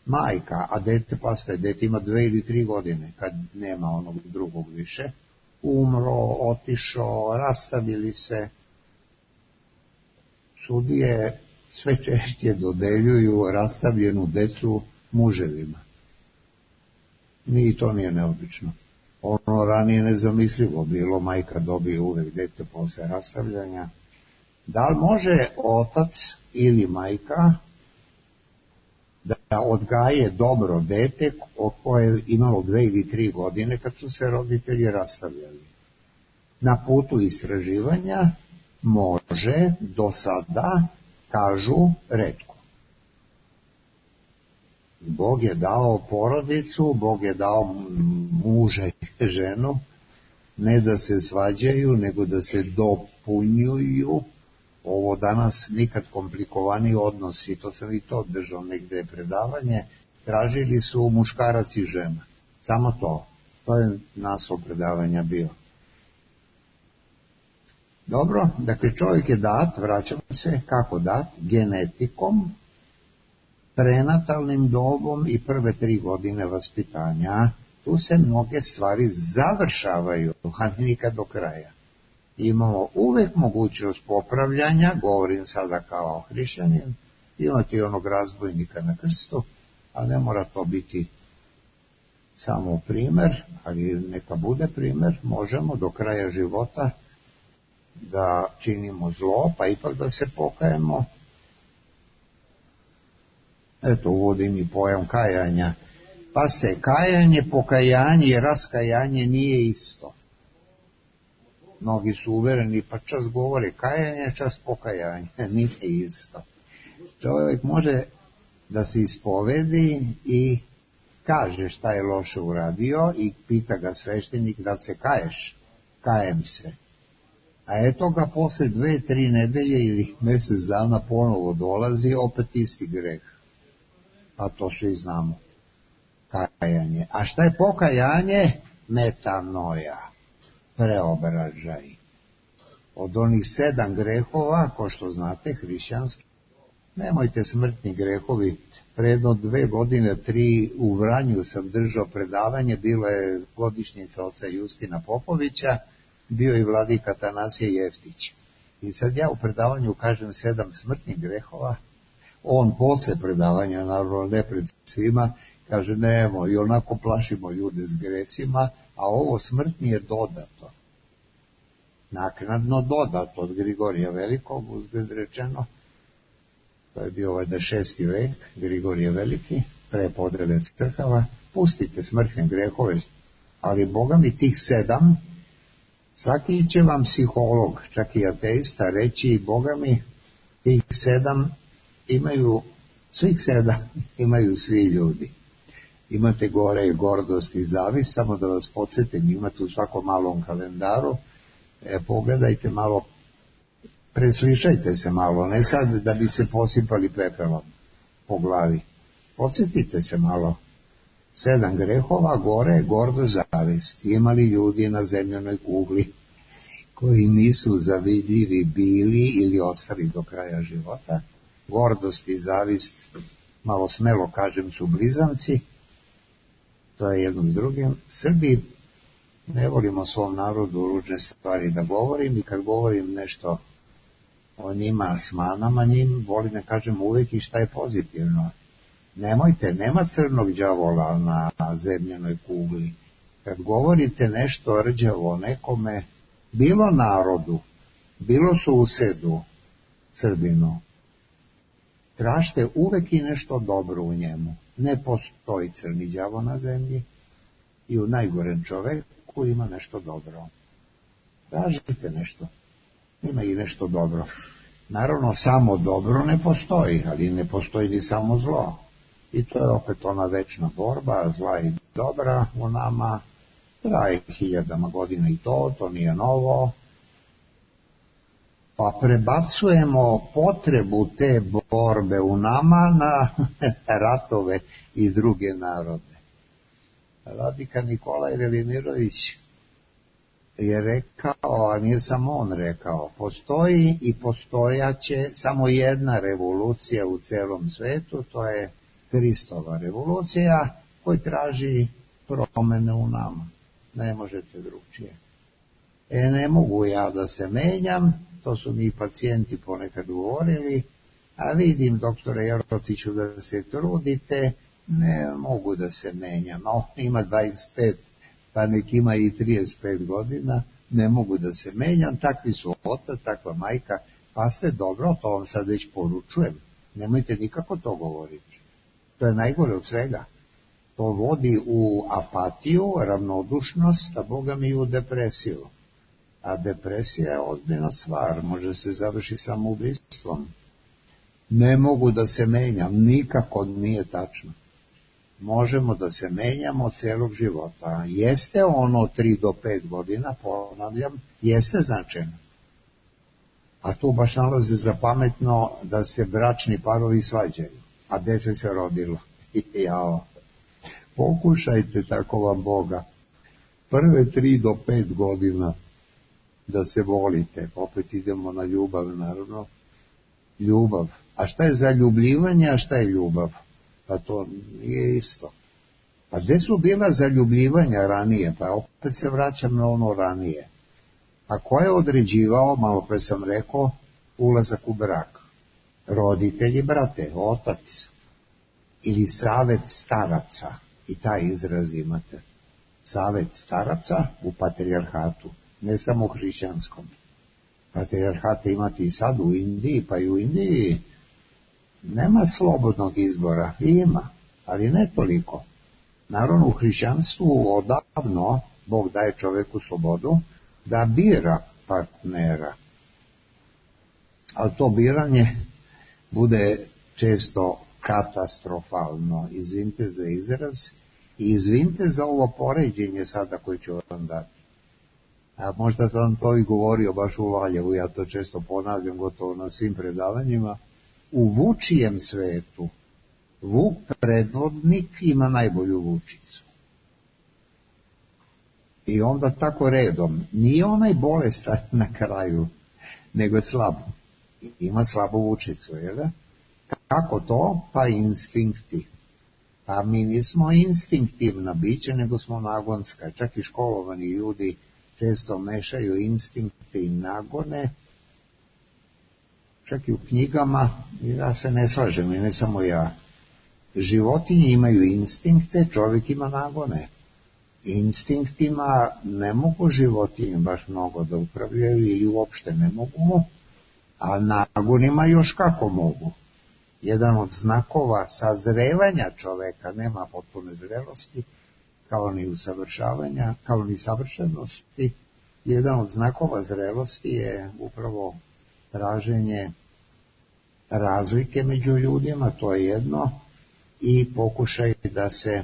Majka, a dete, pastaj, dete ima 2 ili 3 godine, kad nema onog drugog više, umro, otišao, rastavili se. Sudije sve češće dodeljuju rastavljenu decu muževima. Ni to nije neobično. Ono ranije nezamislivo bilo, majka dobije uvek dete posle rastavljanja. Da li može otac ili majka da odgaje dobro dete koje je imalo 2 ili 3 godine kad su se roditelji rastavljali? Na putu istraživanja može, do sada, kažu, retko. Bog je dao porodicu, Bog je dao muža i ženu, ne da se svađaju, nego da se dopunjuju. Ovo danas nikad komplikovaniji odnosi, to sam i to držao negde predavanje, tražili su muškarac i žena. Samo to. To je naslov predavanja bio. Dobro, dakle čovjek je dat, vraćamo se, kako dat? Genetikom, prenatalnim dobom i prve 3 godine vaspitanja. Tu se mnoge stvari završavaju, a nikad do kraja. Imamo uvek mogućnost popravljanja, govorim sada kao hrišćanin, imati onog razbojnika na krstu, a ne mora to biti samo primer, ali neka bude primer, možemo do kraja života da činimo zlo, pa ipak da se pokajemo. Eto, uvodim i pojam kajanja. Pazite, kajanje, pokajanje i raskajanje nije isto. Mnogi su uvereni, pa čas govore kajanje, čas pokajanje, nije isto. Čovjek može da se ispovedi i kaže šta je loše uradio i pita ga sveštenik da se kaješ. Kajem se. A eto ga posle 2-3 nedelje ili mjesec dana ponovo dolazi, opet isti greh. A to svi znamo. Kajanje. A šta je pokajanje? Metanoja. Preobražaj. Od onih 7 grehova, ko što znate, hrišćanski, nemojte smrtni grehovi. Predno 2 godine, 3 u Vranju sam držao predavanje, bila je godišnjica oca Justina Popovića, bio i vladika Atanasije Jeftić. I sad ja u predavanju kažem 7 smrtnih grehova, on posle predavanja, naravno ne pred svima, kaže nemo, i onako plašimo ljude s grecima, a ovo smrtni je dodato. Naknadno dodato od Grigorija Velikog, uzgled rečeno, to je bio 6. vek, Grigorije Veliki, pre podrede crkava, pustite smrtne grehove, ali Boga mi tih 7, svaki će vam psiholog, čak i ateista, reći, Boga mi tih 7 imaju, svih 7 imaju svi ljudi. Imate gore i gordost i zavist, samo da vas podsjetim, imate u svakom malom kalendaru, pogledajte malo, preslišajte se malo, ne sad da bi se posipali pepelom po glavi. Podsjetite se malo. 7 grehova, gore, gordost, zavist. Ima li ljudi na zemljanoj kugli koji nisu zavidljivi bili ili ostali do kraja života? Gordost i zavist, malo smelo kažem, su blizanci. To je jedno s drugim. Srbi ne volimo svom narodu ružne stvari da govorim i kad govorim nešto o njima s manama njim, volim da kažem uvijek i šta je pozitivno. Nemojte, nema crnog đavola na zemljanoj kugli. Kad govorite nešto rđavo nekome, bilo narodu, bilo susedu, Srbinu, tražite uvek i nešto dobro u njemu. Ne postoji crni đavo na zemlji i u najgorem čoveku ima nešto dobro. Tražite nešto, ima i nešto dobro. Naravno, samo dobro ne postoji, ali ne postoji ni samo zlo. I to je opet ona večna borba, zla i dobra u nama, traje 1000 godina i to nije novo. Pa prebacujemo potrebu te borbe u nama na ratove i druge narode. Vladika Nikolaj Velimirović je rekao, a nije samo on rekao, postoji i postojaće samo jedna revolucija u celom svetu, to je Hristova revolucija koja traži promene u nama. Ne možete drugčije. Ne mogu ja da se menjam, to su mi pacijenti ponekad govorili, a vidim, doktore Jerotiću, da se trudite, ne mogu da se menjam. On ima 25, pa nek ima i 35 godina, ne mogu da se menjam, takvi su otac, takva majka, pa ste dobro, to vam sad već poručujem. Nemojte nikako to govoriti. To je najgore od svega. To vodi u apatiju, ravnodušnost, a Boga mi i u depresiju. A depresija je ozbiljna stvar, može se završiti samoubistvom. Ne mogu da se menjam, nikako nije tačno. Možemo da se menjamo celog života. Jeste ono 3 do 5 godina, ponavljam, jeste značajno. A tu baš nalaze za pametno da se bračni parovi svađaju, a dete se rodilo. Jao. Pokušajte, tako vam Boga, prve 3 do 5 godina da se volite. Opet idemo na ljubav, naravno. Ljubav. A šta je zaljubljivanje, a šta je ljubav? Pa to nije isto. Pa gde su bila zaljubljivanja ranije? Pa opet se vraćam na ono ranije. A ko je određivao, malo pre sam rekao, ulazak u brak? Roditelji, brate, otac. Ili savet staraca. I taj izraz imate. Savet staraca u patrijarhatu. Ne samo u hrišćanskom. Patrijarhate imate i sad u Indiji, pa i u Indiji nema slobodnog izbora. Ima, ali ne toliko. Naravno, u hrišćanstvu odavno Bog daje čoveku slobodu da bira partnera. Ali to biranje bude često katastrofalno. Izvinite za izraz i izvinite za ovo poređenje sada koje ću vam dati. A možda sam to i govorio baš u Valjevu, ja to često ponavljam gotovo na svim predavanjima. U vučijem svetu Vuk predvodnik ima najbolju vučicu. I onda tako redom, nije onaj bolestan na kraju, nego je slab. Ima slabu vučicu, jel da? Kako to? Pa instinkti. A mi nismo instinktivna bića, nego smo nagonska. Čak i školovani ljudi često mešaju instinkte i nagone. Čak i u knjigama, ja se ne slažem, i ne samo ja. Životinje imaju instinkte, čovjek ima nagone. Instinktima ne mogu životinje baš mnogo da upravljaju ili uopšte ne mogu, a nagonima još kako mogu. Jedan od znakova sazrevanja čoveka, nema potpune zrelosti, kao ni usavršavanja, kao ni savršenosti. Jedan od znakova zrelosti je upravo traženje razlike među ljudima, to je jedno, i pokušaj da se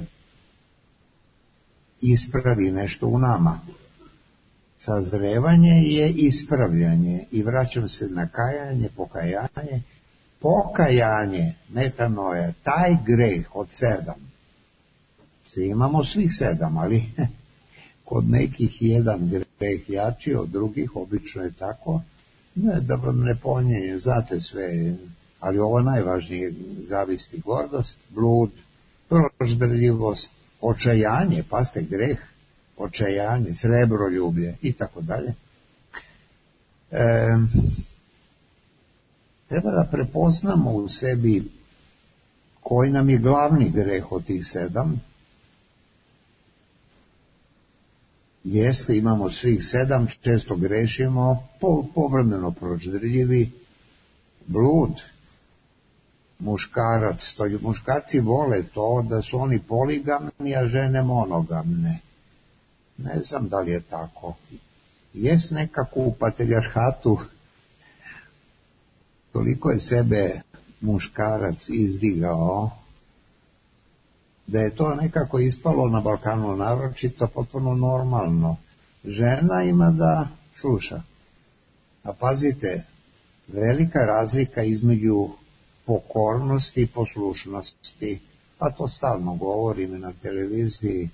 ispravi nešto u nama. Sazrevanje je ispravljanje i vraćam se na kajanje, pokajanje. Pokajanje, metanoja, taj greh od 7. Svi imamo svih 7, ali kod nekih jedan greh jači od drugih, obično je tako. Ne, da vam ne ponjenje, znate sve, ali ovo najvažnije, zavisti, gordost, blud, proždrljivost, očajanje, pazite, greh, očajanje, srebroljublje i tako dalje. Treba da prepoznamo u sebi koji nam je glavni greh od tih 7. Jeste, imamo svih 7, često grešimo, povremeno proždrljivi, blud, muškarac, to muškarci vole to da su oni poligamni, a žene monogamne. Ne znam da li je tako. Jest nekako u patrijarhatu, toliko je sebe muškarac izdigao, da je to nekako ispalo na Balkanu naročito potpuno normalno. Žena ima da sluša. A pazite, velika razlika između pokornosti i poslušnosti, a to stalno govorim na televiziji.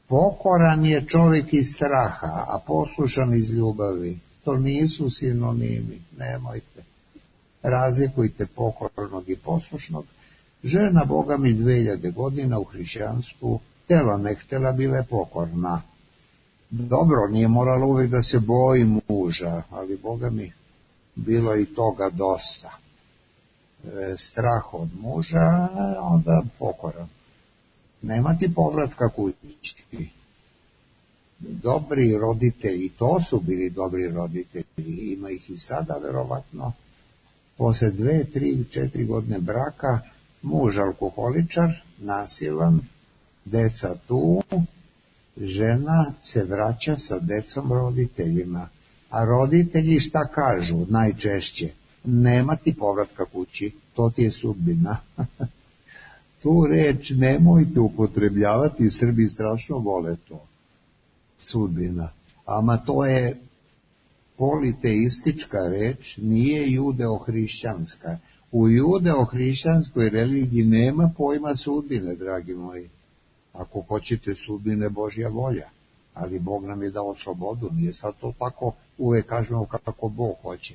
Pokoran je čovjek iz straha, a poslušan iz ljubavi. To nisu sinonimi, nemojte. Razlikujte pokornog i poslušnog. Žena, Boga mi, 2000 godina u hrišćanstvu, htjela ne htjela, bila je pokorna. Dobro, nije morala uvijek da se boji muža, ali Boga mi, bilo i toga dosta. Strah od muža, onda pokoran. Nema ti povratka kući. Dobri roditelji, to su bili dobri roditelji, ima ih i sada verovatno. Posle 2, 3, 4 godine braka, muž alkoholičar, nasilan, deca tu, žena se vraća sa decom roditeljima. A roditelji šta kažu najčešće? Nema ti povratka kući, to ti je sudbina. Tu reč nemojte upotrebljavati, Srbi strašno vole to. Sudbina. Ama to je politeistička reč, nije judeo-hrišćanska. U judeo-hrišćanskoj religiji nema pojma sudbine, dragi moji. Ako hoćete sudbine, Božja volja. Ali Bog nam je dao slobodu, nije sad to tako, uvek kažemo kako Bog hoće.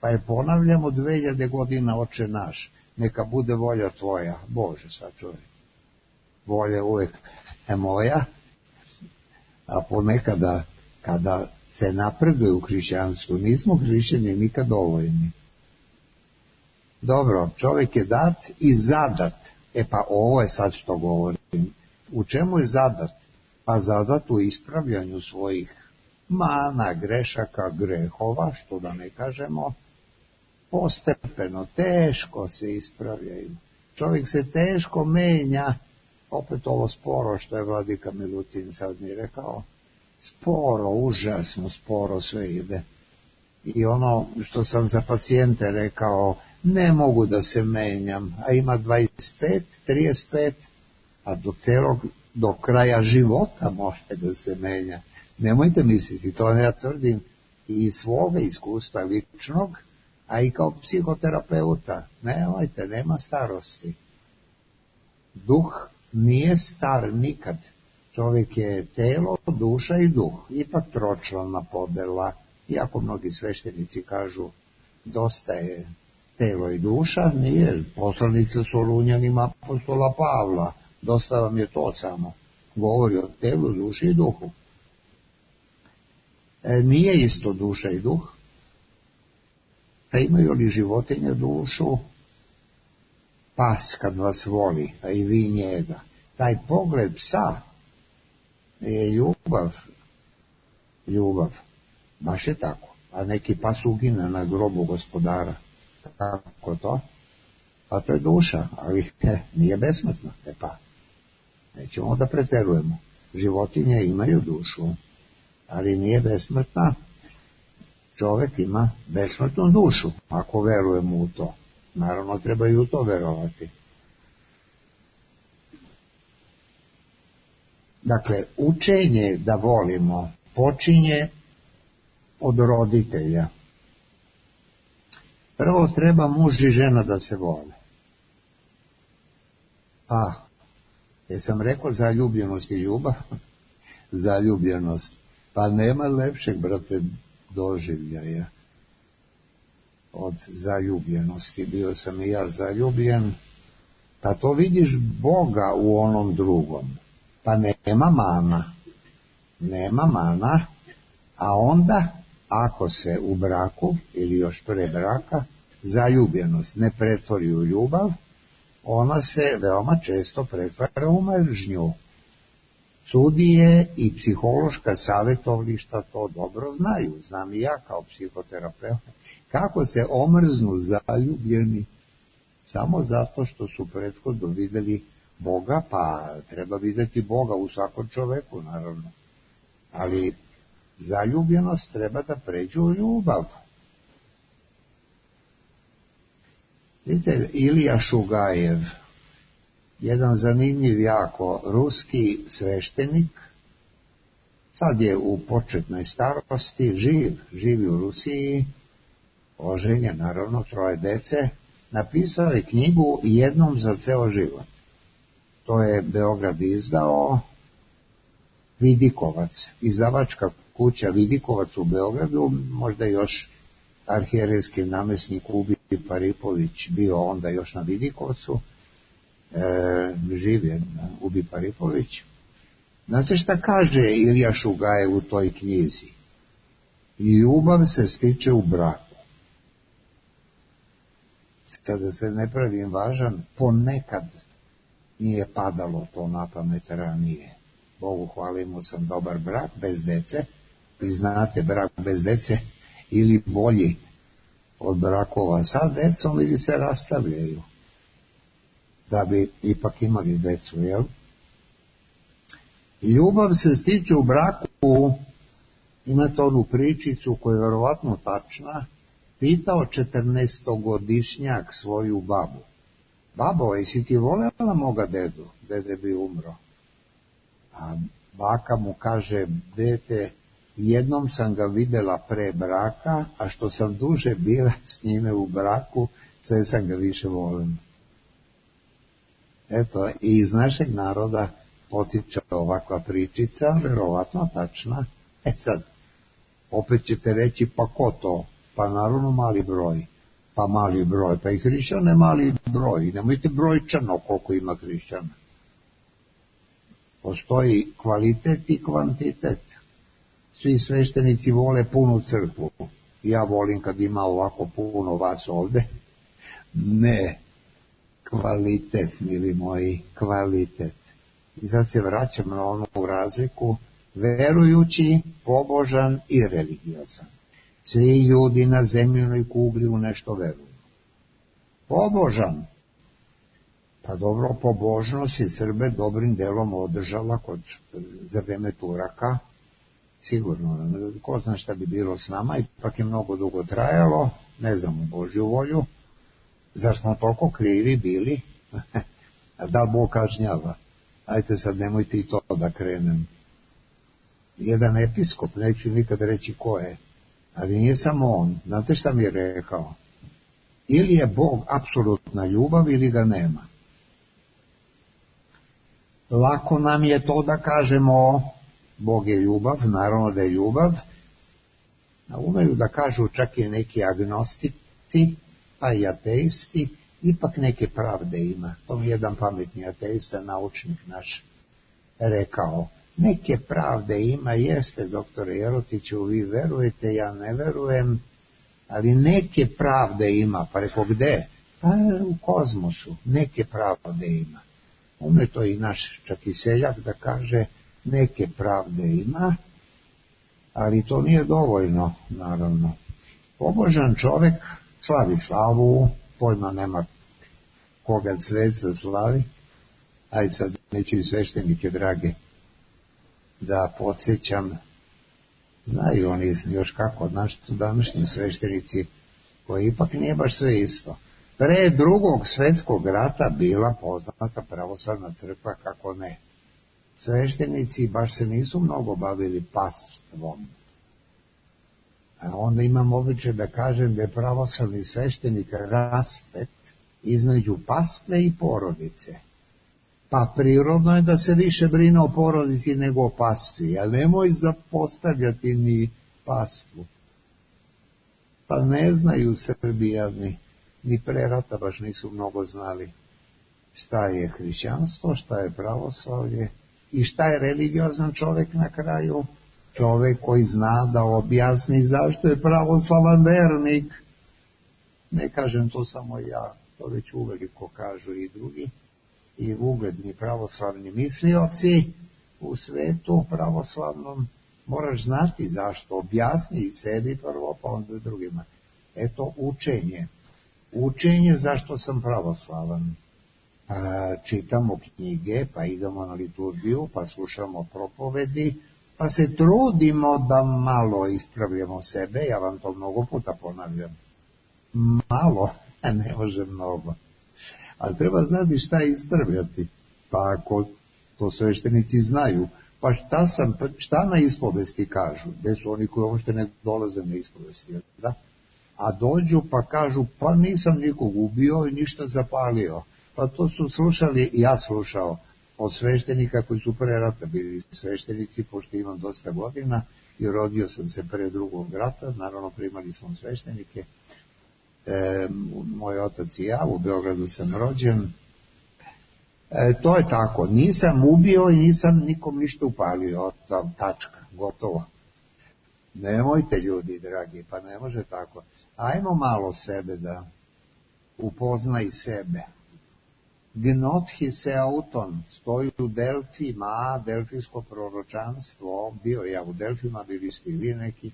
Pa je ponavljamo 2000 godina, Oče naš, neka bude volja tvoja, Bože sačuvaj. Volja uvek je moja, a ponekada kada se napreduje u hrišćanstvu, nismo hrišćani nikad dovoljni. Dobro, čovjek je dat i zadat. Pa ovo je sad što govorim. U čemu je zadat? Pa zadat u ispravljanju svojih mana, grešaka, grehova, što da ne kažemo, postepeno, teško se ispravljaju. Čovjek se teško menja, opet ovo sporo što je vladika Milutin sad mi rekao, sporo, užasno sporo sve ide. I ono što sam za pacijente rekao, ne mogu da se menjam, a ima 25, 35, a do kraja života možete da se menja. Nemojte misliti, to ja tvrdim i iz svoga iskustva ličnog, a i kao psihoterapeuta. Nemojte, nema starosti. Duh nije star nikad. Čovjek je telo, duša i duh. Ipak tročlana podela. Iako mnogi sveštenici kažu dosta je telo i duša, nije. Poslanica Solunjanima apostola Pavla. Dosta vam je to samo. Govori o telu, duši i duhu. Nije isto duša i duh. Pa imaju li životinje dušu? Pas kad vas voli, a i vi njega. Taj pogled psa je ljubav. Ljubav. Baš je tako. A neki pas ugine na grobu gospodara. Kako to? Pa to je duša, ali nije besmrtna. Pa, nećemo da preterujemo. Životinje imaju dušu, ali nije besmrtna. Čovjek ima besmrtnu dušu, ako verujemo u to. Naravno, treba i u to verovati. Dakle, učenje da volimo počinje od roditelja. Prvo treba muž i žena da se vole. Jesam rekao zaljubljenost i ljubav? Zaljubljenost. Pa nema lepšeg, brate, doživljaja od zaljubljenosti. Bio sam i ja zaljubljen. Pa to vidiš Boga u onom drugom. Pa nema mana, a onda, ako se u braku, ili još pre braka, zaljubljenost ne pretvori u ljubav, ona se veoma često pretvara u mržnju. Sudije i psihološka savjetovališta to dobro znaju, znam i ja kao psihoterapeut, kako se omrznu zaljubljeni samo zato što su prethodno vidjeli Boga, pa treba vidjeti Boga u svakom čoveku, naravno. Ali zaljubljenost treba da pređe u ljubav. Vidite, Ilija Šugajev, jedan zanimljiv jako ruski sveštenik, sad je u početnoj starosti, živi u Rusiji, oženjen, naravno, 3 dece, napisao je knjigu Jednom za ceo život. To je Beograd izdao, Vidikovac, izdavačka kuća Vidikovac u Beogradu, možda još arhijerejski namjesnik Ubi Paripović bio onda još na Vidikovcu, živ je Ubi Paripović. Znate šta kaže Ilija Šugajev u toj knjizi? Ljubav se stiče u braku. Kada se ne pravim važan, ponekad nije padalo to na pamet ranije. Bogu hvala, imao sam dobar brak bez dece. Vi znate, brak bez dece ili bolji od brakova sa decom ili se rastavljaju da bi ipak imali decu, jel? Ljubav se stiče u braku, imate onu pričicu koja je verovatno tačna, pitao 14-godišnjak svoju babu. Babo, jesi ti voljela moga dedu? Dede bi umro. A baka mu kaže, dete, jednom sam ga videla pre braka, a što sam duže bila s njime u braku, sve sam ga više volim. Eto, i iz našeg naroda potiče ovakva pričica, verovatno tačna. Sad, opet ćete reći, pa ko to? Pa naravno mali broj. Pa mali broj, pa i hrišćan je mali broj. Nemojte brojčano koliko ima hrišćana. Postoji kvalitet i kvantitet. Svi sveštenici vole punu crkvu. Ja volim kad ima ovako puno vas ovde. Ne, kvalitet, mili moji, kvalitet. I sad se vraćam na onu razliku, verujući, pobožan i religiozan. Svi ljudi na zemljinoj kugli u nešto veruju. Pobožan. Pa dobro, pobožnost je Srbe dobrim delom održala za vreme Turaka. Sigurno, ko zna šta bi bilo s nama, ipak je mnogo dugo trajalo, ne znam u Božju volju. Zar smo toliko krivi bili? A da Bog kažnjava? Ajte sad, nemojte i to da krenem. Jedan episkop, neću nikad reći ko je, ali nije samo on. Znate šta mi je rekao? Ili je Bog apsolutna ljubav ili ga nema. Lako nam je to da kažemo Bog je ljubav, naravno da je ljubav. Umeju da kažu čak i neki agnostici, pa i ateisti, ipak neke pravde ima. To mi jedan pametni ateista, naučnik naš, rekao. Neke pravde ima, jeste, doktore Jerotiću, vi verujete, ja ne verujem, ali neke pravde ima. Pa rekao, gde? Pa u kozmosu, neke pravde ima. Ume to i naš čak i seljak da kaže, neke pravde ima, ali to nije dovoljno, naravno. Pobožan čovek slavi slavu, pojma nema koga svet za slavi, ajde sad neću i sveštenike drage da podsjećam, znaju oni još kako, naši današnji sveštenici, koji ipak nije baš sve isto. Pre Drugog svetskog rata bila poznata pravoslavna crkva, kako ne. sveštenici baš se nisu mnogo bavili pastvom. A onda imam običaj da kažem da je pravoslavni sveštenik raspet između pastve i porodice. Pa prirodno je da se više brine o porodici nego o pastvi, ali nemoj zapostavljati ni pastvu. Pa ne znaju Srbijani, ni pre rata baš nisu mnogo znali šta je hrišćanstvo, šta je pravoslavlje i šta je religiozan čovjek na kraju. Čovjek koji zna da objasni zašto je pravoslavan vernik. Ne kažem to samo ja, to već uveliko kažu i drugi, i ugledni pravoslavni mislioci u svetu pravoslavnom. Moraš znati zašto, objasni sebi prvo, pa onda drugima. Eto učenje. Učenje zašto sam pravoslavan. Čitamo knjige, pa idemo na liturgiju, pa slušamo propovedi, pa se trudimo da malo ispravljamo sebe, ja vam to mnogo puta ponavljam. Malo, ne može mnogo. Ali treba znati šta ispravljati. Pa ako to sveštenici znaju, pa šta na ispovesti kažu? Gde su oni koji uopšte ne dolaze na ispovesti? Da? A dođu pa kažu, pa nisam nikog ubio i ništa zapalio. Pa to su slušali, ja slušao, od sveštenika koji su pre rata bili sveštenici, pošto imam dosta godina i rodio sam se pre drugog rata, naravno primali smo sveštenike. Moj otac i ja, u Beogradu sam rođen. To je tako, nisam ubio i nisam nikom ništa upalio, tačka, gotovo. Nemojte ljudi dragi, pa ne može tako. Ajmo malo sebe da upoznaj sebe. Gnothi se auton, stoji u Delfima, delfijsko proročanstvo, bio ja u Delfima, bili ste i vi neki,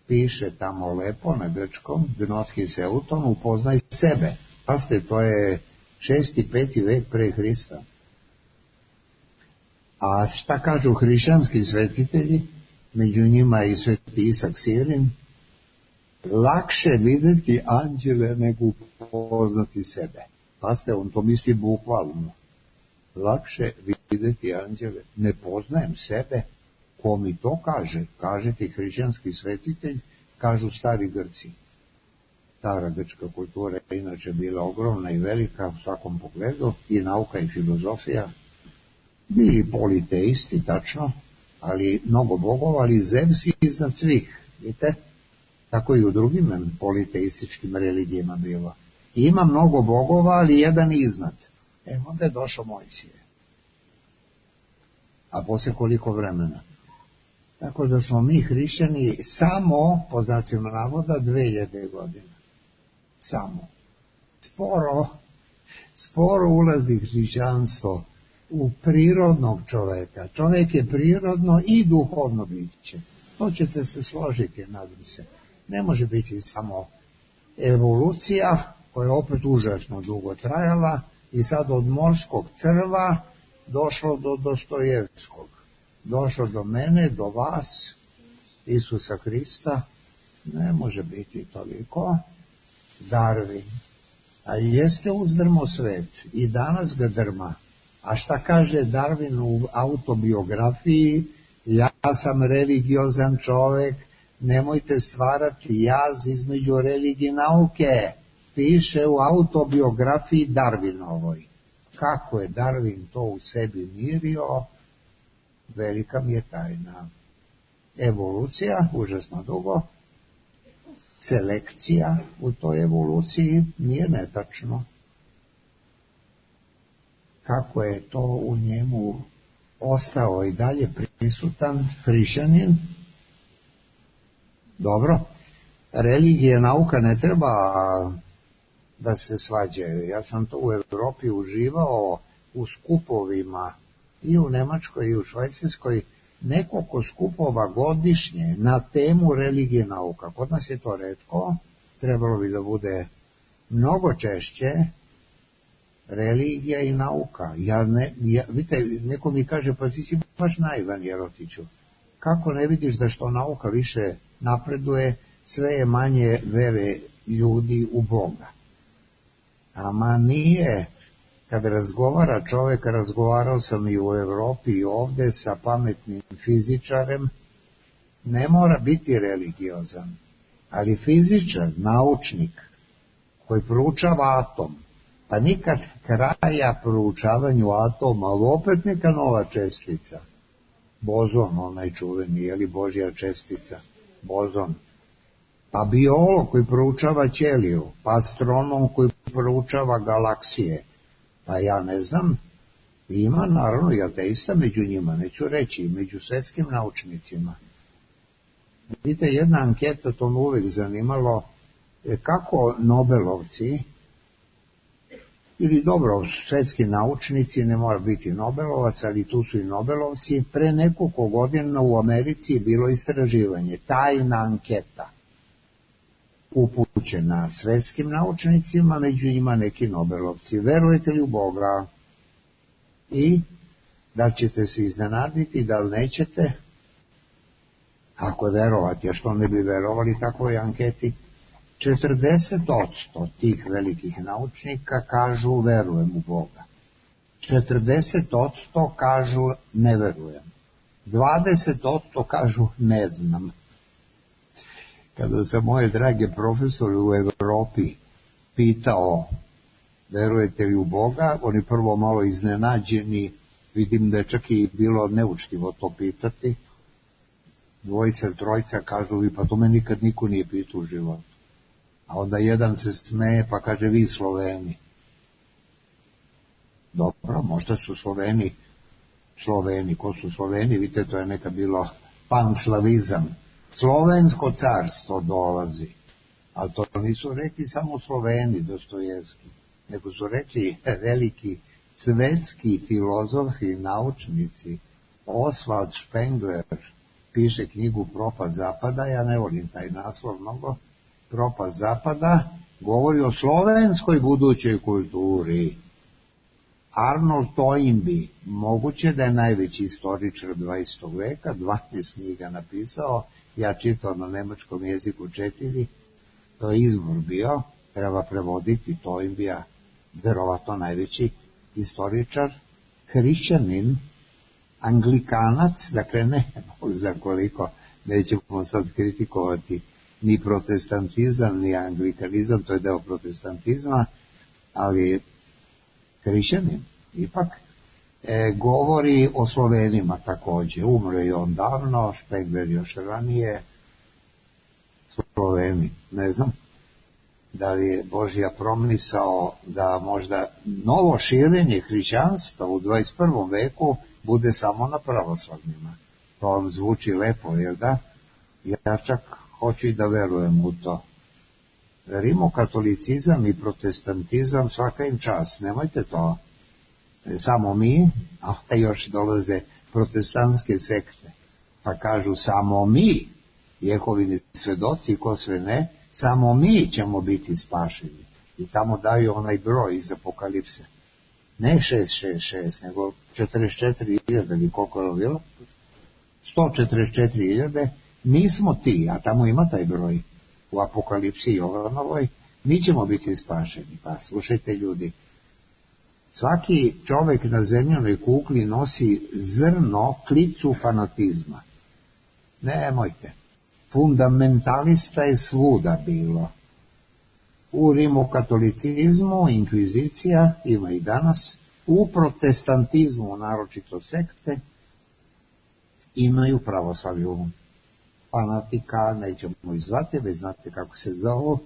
piše tamo lepo na grčkom, Gnothi se auton, upoznaj sebe. Pazite, to je 6. i 5. vek pre Hrista. A šta kažu hrišćanski svetitelji, među njima i sveti Isak Sirin, lakše videti anđele nego upoznati sebe. Pazite, on to misli bukvalno. Lakše videti anđele, ne poznajem sebe. Ko mi to kaže? Kaže ti hrišćanski svetitelj, kažu stari Grci. Stara grčka kultura je inače bila ogromna i velika u svakom pogledu, i nauka i filozofija. Bili politeisti, tačno, ali mnogo bogova, ali Zevs iznad svih, vidite? Tako i u drugim politeističkim religijama bilo. Ima mnogo bogova, ali jedan iznad. Onda je došao Mojsije. A poslije koliko vremena? Tako da smo mi hrišćani samo, po znacima navoda, 2000 godina. Samo. Sporo ulazi hrišćanstvo u prirodnog čoveka. Čovjek je prirodno i duhovno biće. To ćete se složiti, nadam se. Ne može biti samo evolucija, koja je opet užasno dugo trajala, i sad od morskog crva došlo do Dostojevskog. Došlo do mene, do vas, Isusa Hrista. Ne može biti toliko. Darwin. A jeste uzdrmo svet i danas ga drma. A šta kaže Darwin u autobiografiji? Ja sam religiozan čovek, nemojte stvarati jaz između religije i nauke. Piše u autobiografiji Darwinovoj. Kako je Darwin to u sebi mirio, velika mi je tajna. Evolucija, užasno dugo. Selekcija u toj evoluciji nije netačno. Kako je to u njemu ostao i dalje prisutan hrišćanin? Dobro, religija i nauka ne treba da se svađaju. Ja sam to u Evropi uživao u skupovima i u Nemačkoj i u Švajcarskoj, nekoliko skupova godišnje na temu religije i nauka. Kod nas je to retko, trebalo bi da bude mnogo češće religija i nauka. Vidite, neko mi kaže, pa ti si baš naivan, Jerotiću. Kako ne vidiš da što nauka više napreduje, sve je manje vere ljudi u Boga? Ama nije. kad razgovara čovjek, razgovarao sam i u Europi i ovdje sa pametnim fizičarem, ne mora biti religiozan, ali fizičar, naučnik koji proučava atom, pa nikad kraja proučavanju atoma, ali opet neka nova čestica, bozon, onaj čuveni, je li Božja čestica, bozon, pa biolog koji proučava ćeliju, pa astronom koji proučava galaksije, pa ja ne znam, ima naravno i ateista među njima, neću reći, među svetskim naučnicima. Vidite, jedna anketa, to me uvijek zanimalo, kako Nobelovci, ili dobro, svetski naučnici, ne mora biti Nobelovac, ali tu su i Nobelovci, pre nekoliko godina u Americi je bilo istraživanje, tajna anketa, upućena svetskim naučnicima, među njima neki Nobelovci. Verujete li u Boga? I da li ćete se iznenaditi, da li nećete? Ako verovati, a što ne bi verovali takvoj anketi? 40% tih velikih naučnika kažu verujem u Boga. 40% kažu ne verujem. 20% kažu ne znam. Kada sam moje drage profesore u Europi pitao verujete li u Boga, oni prvo malo iznenađeni, vidim da je čak i bilo neučtivo to pitati. Dvojica, trojica kažu vi, pa to me nikad niko nije pitao u životu. A onda jedan se smeje pa kaže vi Sloveni. Dobro, možda su Sloveni, ko su Sloveni, vidite, to je nekad bilo panslavizam. Slovensko carstvo dolazi, ali to nisu rekli samo Sloveni, Dostojevski, nego su rekli veliki svetski filozofi i naučnici. Oswald Spengler piše knjigu Propast zapada, ja ne volim taj naslov mnogo, Propast zapada, govori o slovenskoj budućoj kulturi. Arnold Toynbee, moguće da je najveći istoričar 20. veka, 12 knjiga napisao, ja čitao na nemačkom jeziku 4, to je izbor bio, treba prevoditi Toynbea, verovatno najveći istoričar, hrišćanin, anglikanac, dakle ne za koliko, nećemo sad kritikovati ni protestantizam, ni anglikanizam, to je deo protestantizma, ali hrišćanin ipak govori o Slovenima također. Umro je on davno, Špengler još ranije. Sloveni, ne znam da li je Božja promisao da možda novo širenje hrišćanstva u 21. veku bude samo na pravoslavnima. To vam zvuči lepo, jel da? Ja čak hoću i da verujem u to. Rimokatolicizam i protestantizam svaka im čast, nemojte to. Samo mi, a još dolaze protestantske sekte, pa kažu samo mi, Jehovini svedoci, ko sve ne, samo mi ćemo biti spašeni. I tamo daju onaj broj iz Apokalipse. Ne 666, nego 44.000, ili koliko je bilo? 144.000, mi smo ti, a tamo ima taj broj u Apokalipsi Jovanovoj, mi ćemo biti spašeni. Pa slušajte ljudi, svaki čovjek na zemljanoj kugli nosi zrno, klicu fanatizma. Nemojte. Fundamentalista je svuda bilo. U rimokatolicizmu, inkvizicija, ima i danas, u protestantizmu, naročito sekte, imaju pravoslavlju. Fanatika, nećemo izvati, već znate kako se zove.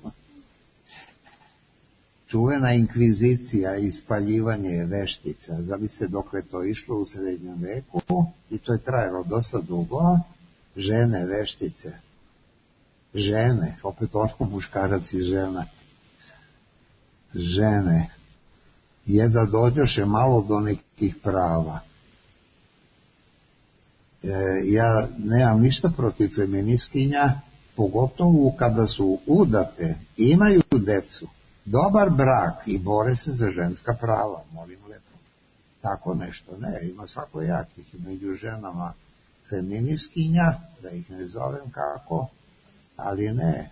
Čuvena inkvizicija i spaljivanje veštica. Zamislite dok je to išlo u srednjem veku i to je trajalo dosta dugo. Žene veštice. Žene, opet ono muškarac i žena. Žene. Da dođoše malo do nekih prava. Ja nemam ništa protiv feministkinja, pogotovo kada su udate, imaju decu, dobar brak i bore se za ženska prava, molim lepo. Tako nešto, ne, ima svakojakih među ženama feministkinja, da ih ne zovem kako, ali ne,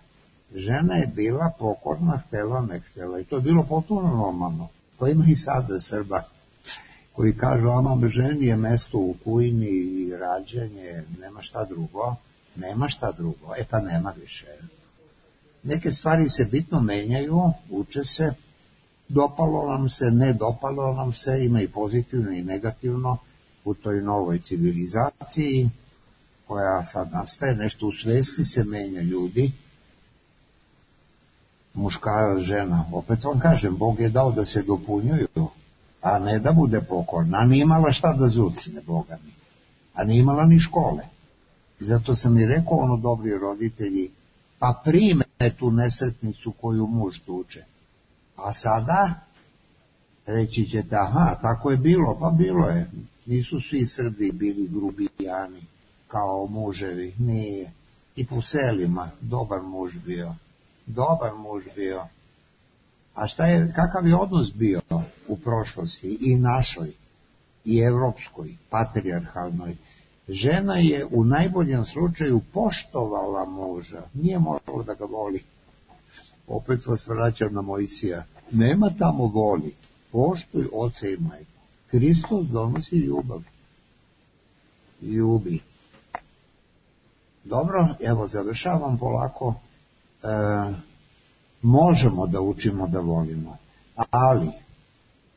žena je bila pokorna, htjela, ne htjela, i to je bilo potpuno normalno. To ima i sada Srba koji kažu, ama ženi je mesto u kujni i rađanje, nema šta drugo. Nema šta drugo, pa nema više. Neke stvari se bitno menjaju, uče se, dopalo nam se, ne dopalo nam se, ima i pozitivno i negativno u toj novoj civilizaciji koja sad nastaje, nešto u svesti se menja ljudi, muškarac, žena. Opet vam kažem, Bog je dao da se dopunjuju, a ne da bude pokorna, a nije imala šta da zucne, Boga mi, a nije imala ni škole. Zato sam i rekao, dobri roditelji, pa prime tu nesretnicu koju muž tuče. A sada, reći ćete, aha, tako je bilo, pa bilo je. Nisu svi Srbi bili grubijani kao muževi, nije. I po selima, dobar muž bio. A kakav je odnos bio u prošlosti, i našoj, i evropskoj, patrijarhalnoj? Žena je u najboljem slučaju poštovala muža, nije moralo da ga voli. Opet vas vraćam na Mojsija. Nema tamo voli, poštuj oca i majku. Hristos donosi ljubav. Ljubi. Dobro, evo završavam polako. Možemo da učimo da volimo, ali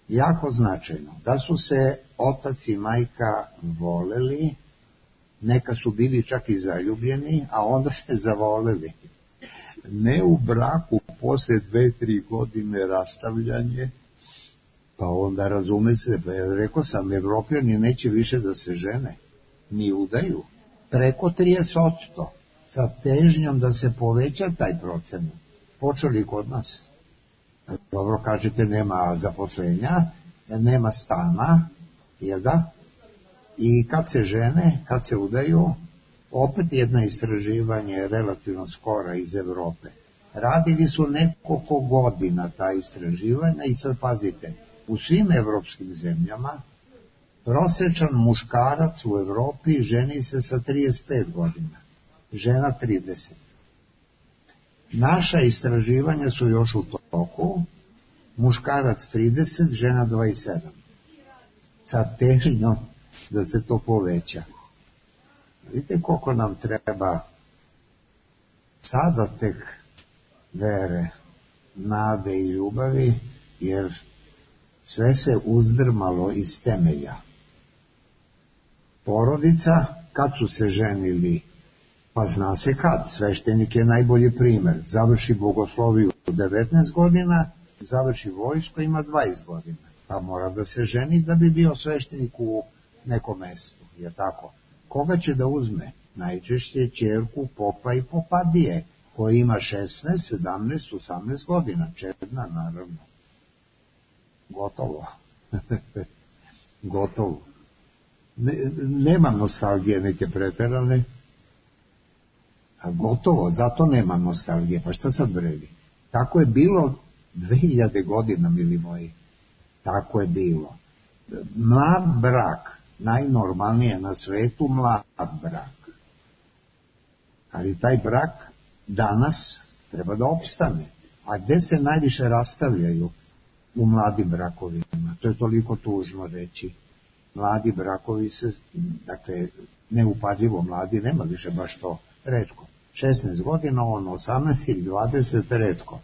jako značajno da su se otac i majka voleli, neka su bili čak i zaljubljeni, a onda se zavoleli. Ne u braku, posle 2-3 godine rastavljanje, pa onda razume se, rekao sam, Evropljani neće više da se žene, ni udaju, preko 30%, sa težnjom da se poveća taj procenat. Počeli kod nas. Dobro, kažete, nema zaposlenja, nema stana, jel da? I kad se žene, kad se udaju, opet jedno istraživanje relativno skora iz Evrope. Radili su nekoliko godina ta istraživanja i sad pazite, u svim evropskim zemljama prosječan muškarac u Evropi ženi se sa 35 godina, žena 30. Naša istraživanja su još u toku, muškarac 30, žena 27. Sa težnjom da se to poveća. Vidite koliko nam treba sada tek vere, nade i ljubavi, jer sve se uzdrmalo iz temelja. Porodica, kad su se ženili, pa zna se kad, sveštenik je najbolji primer, završi bogosloviju u 19 godina, završi vojsko, ima 20 godina, pa mora da se ženi da bi bio sveštenik u nekom mestu, je tako? Koga će da uzme? Najčešće ćerku popa i popadije, koji ima 16, 17, 18 godina, čedna naravno. Gotovo. Gotovo. Nema nostalgije neke preterane, a gotovo, zato nema nostalgije, pa šta sad vredi? Tako je bilo 2000 godina, mili moji, tako je bilo. Mlad brak, najnormalnije na svetu, mlad brak. Ali taj brak danas treba da opstane. A gde se najviše rastavljaju? U mladim brakovima. To je toliko tužno reći. Mladi brakovi se, dakle, neupadljivo mladi, nema više baš to, retko. 16 godina, 18 ili 20, retko.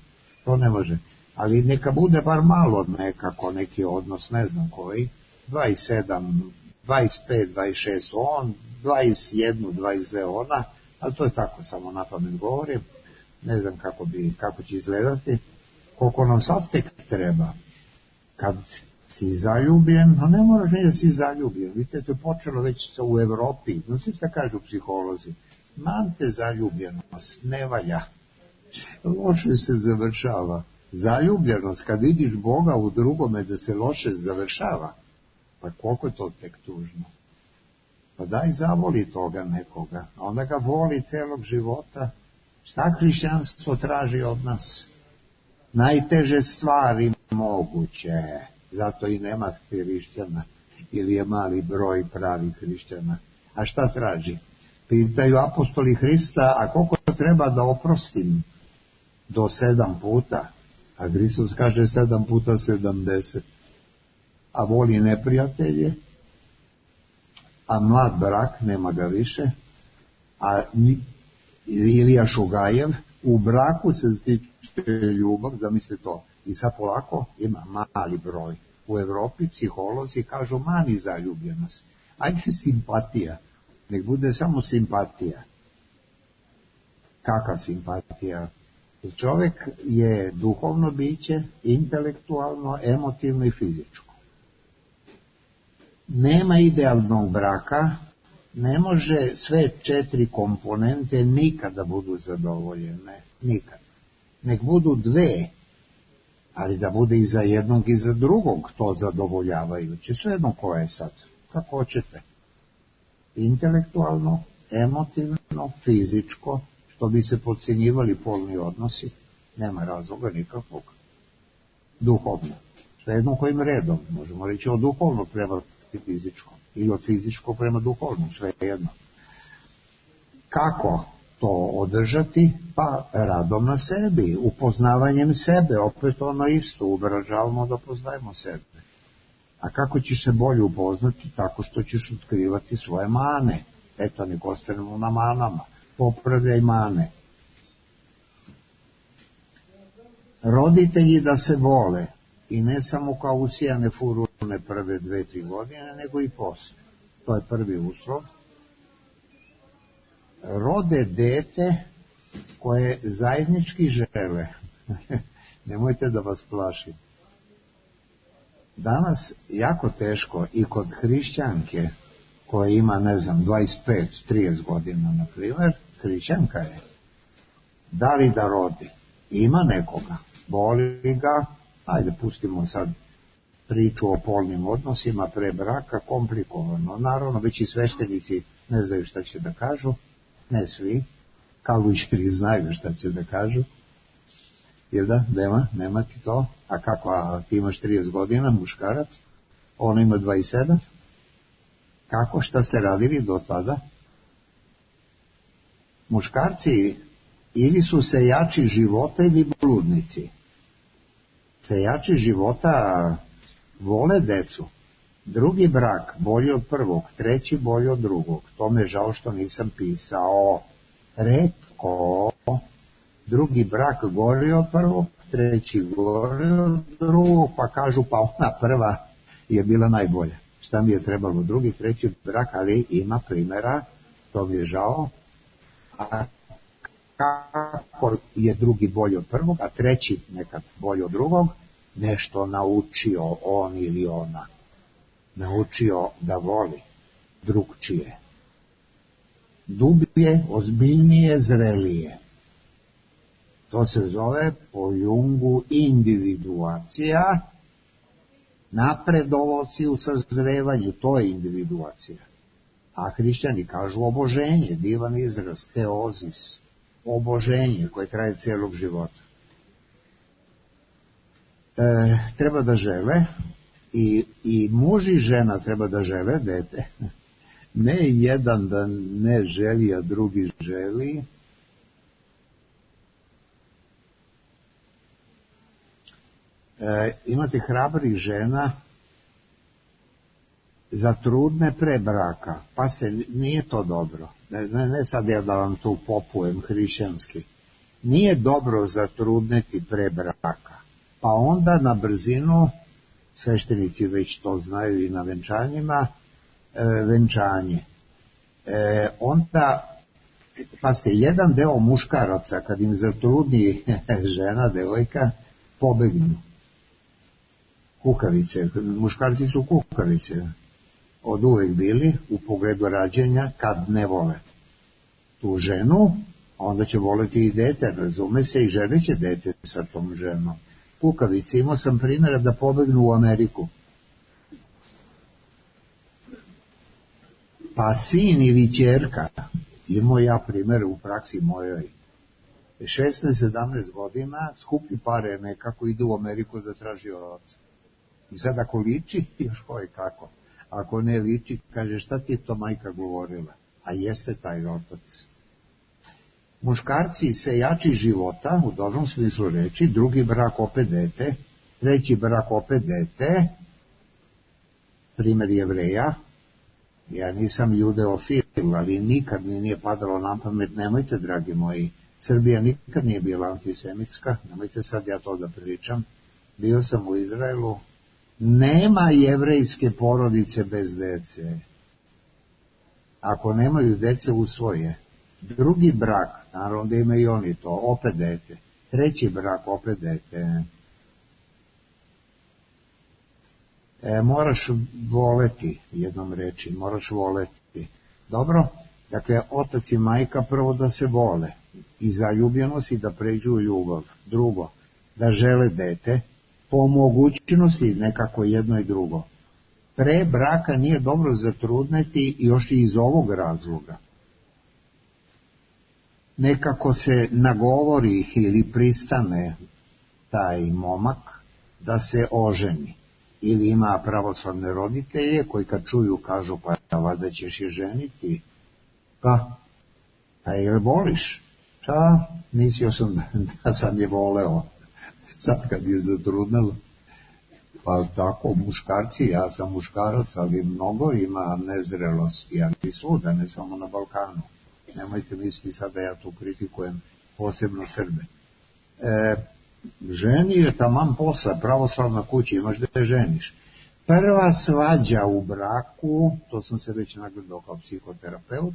To ne može. Ali neka bude bar malo nekako neki odnos, ne znam koji, 27, 25, 26 on, 21, 22 ona, ali to je tako, samo na pamet govorim, ne znam kako će izgledati, koliko nam sad tek treba. Kad si zaljubljen, a ne moraš ni da si zaljubljen, vidite, to je počelo već u Evropi, znači šta kažu psiholozi, mante zaljubljenost, ne valja, loše se završava. Zaljubljenost, kad vidiš Boga u drugome da se loše završava, pa koliko je to tek tužno. Pa daj zavoli toga nekoga, a onda ga voli celog života. Šta hrišćanstvo traži od nas? Najteže stvari moguće, zato i nema hrišćana, ili je mali broj pravih hrišćana. A šta traži? Pitaju apostoli Hrista, a koliko treba da oprostim? Do 7 puta. A Hristos kaže 7 puta 70. A voli neprijatelje, a mlad brak, nema ga više, a Ilija Šugajev, u braku se stiče ljubav, zamisli to, i sad polako ima mali broj. U Evropi psiholozi kažu mani zaljubljenost. Ajde simpatija, nek bude samo simpatija. Kakva simpatija? Čovjek je duhovno biće, intelektualno, emotivno i fizičko. Nema idealnog braka, ne može sve 4 komponente nikada budu zadovoljene, nikad. Nek budu 2, ali da bude i za jednog i za drugog to zadovoljavajuće, svejedno koje je sad, kako hoćete. Intelektualno, emotivno, fizičko, što bi se podcjenjivali polni odnosi, nema razloga nikakvog. Duhovno, svejedno kojim redom, možemo reći od duhovnog prema fizičkom, ili od fizičkog prema duhovnom, svejedno. Kako to održati? Pa radom na sebi, upoznavanjem sebe, opet ono isto, ubražavamo da poznajemo sebe. A kako ćeš se bolje upoznati? Tako što ćeš otkrivati svoje mane. Eto, nek ostanemo na manama. Popravljaj mane. Roditelji da se vole, i ne samo kao usijane furune prve 2-3 godine, nego i posle. To je prvi uslov. Rode dete koje zajednički žele. Nemojte da vas plašim. Danas jako teško i kod hrišćanke koja ima, 25-30 godina, na primjer, hrišćanka je. Da li da rodi? Ima nekoga. Boli ga, ajde pustimo sad priču o polnim odnosima pre braka, komplikovano. Naravno, već i sveštenici ne znaju šta će da kažu, ne svi, kaluđeri znaju šta će da kažu. Jer da, nema ti to. A kako, a ti imaš 30 godina, muškarac, ona ima 27. Kako, šta ste radili do tada? Muškarci ili su sejači života ili bludnici. Sejači života vole decu. Drugi brak bolji od prvog, treći bolji od drugog. To me žao što nisam pisao. Retko. Drugi brak gori od prvog, treći gori od drugog, pa kažu pa ona prva je bila najbolja. Šta mi je trebalo, drugi, treći brak, ali ima primjera, to mi je žao. A kako je drugi bolji od prvog, a treći nekad bolji od drugog, nešto naučio on ili ona. Naučio da voli drugčije. Dublje, ozbiljnije, zrelije. To se zove po Jungu individuacija. Napredovo si u sazrevanju, to je individuacija. A hrišćani kažu oboženje, divan izraz, teozis, oboženje koje traje cijelog života. Treba da žele, i muž i žena treba da žele dete. Ne jedan da ne želi, a drugi želi. Imate hrabrih žena za trudne pre braka. Pa nije to dobro. Ne sad ja da vam tu popujem hrišćanski. Nije dobro zatrudneti pre braka. Pa onda na brzinu, sveštenici već to znaju i na venčanjima, venčanje. Onda, pazite, jedan deo muškaraca kad im zatrudni žena, devojka, pobegnu. Kukavice, muškarci su kukavice, od uvek bili u pogledu rađenja, kad ne vole tu ženu, onda će voleti i dete, razume se, i želit će dete sa tom ženom. Kukavice, imao sam primjera da pobegnu u Ameriku. Pa sin ili ćerka, imao ja primjer u praksi mojoj, 16-17 godina, skupi pare nekako, ide u Ameriku da traži oca. I sad ako liči, još koje kako. Ako ne liči, kaže šta ti je to majka govorila? A jeste taj otac. Muškarci se jači života, u dobrom smislu reči, drugi brak opet dete, treći brak opet dete, primjer Jevreja. Ja nisam judeofil, ali nikad mi nije padalo na pamet, nemojte, dragi moji, Srbija nikad nije bila antisemitska, nemojte sad ja to da pričam. Bio sam u Izraelu, nema jevrejske porodice bez dece. Ako nemaju dece, usvoje. Drugi brak, naravno da imaju i oni to, opet dete. Treći brak, opet dete. Moraš voleti, jednom reči, moraš voleti. Dobro? Dakle, otac i majka prvo da se vole i zaljubljenost i da pređu u ljubav. Drugo, da žele dete, po mogućnosti nekako jedno i drugo. Pre braka nije dobro zatrudneti još i iz ovog razloga. Nekako se nagovori ili pristane taj momak da se oženi. Ili ima pravoslavne roditelje koji kad čuju kažu pa valjda ćeš je ženiti. Pa je voliš? Mislio sam da sam je voleo. Sad kad je zatrudnelo. Pa tako, muškarci, ja sam muškarac, ali mnogo ima nezrelosti, ali svuda, ne samo na Balkanu. Nemojte misliti sad da ja tu kritikujem posebno Srbe. Ženi je taman posla, pravoslavna kuća, imaš da te ženiš. Prva svađa u braku, to sam se već nagledao kao psihoterapeut,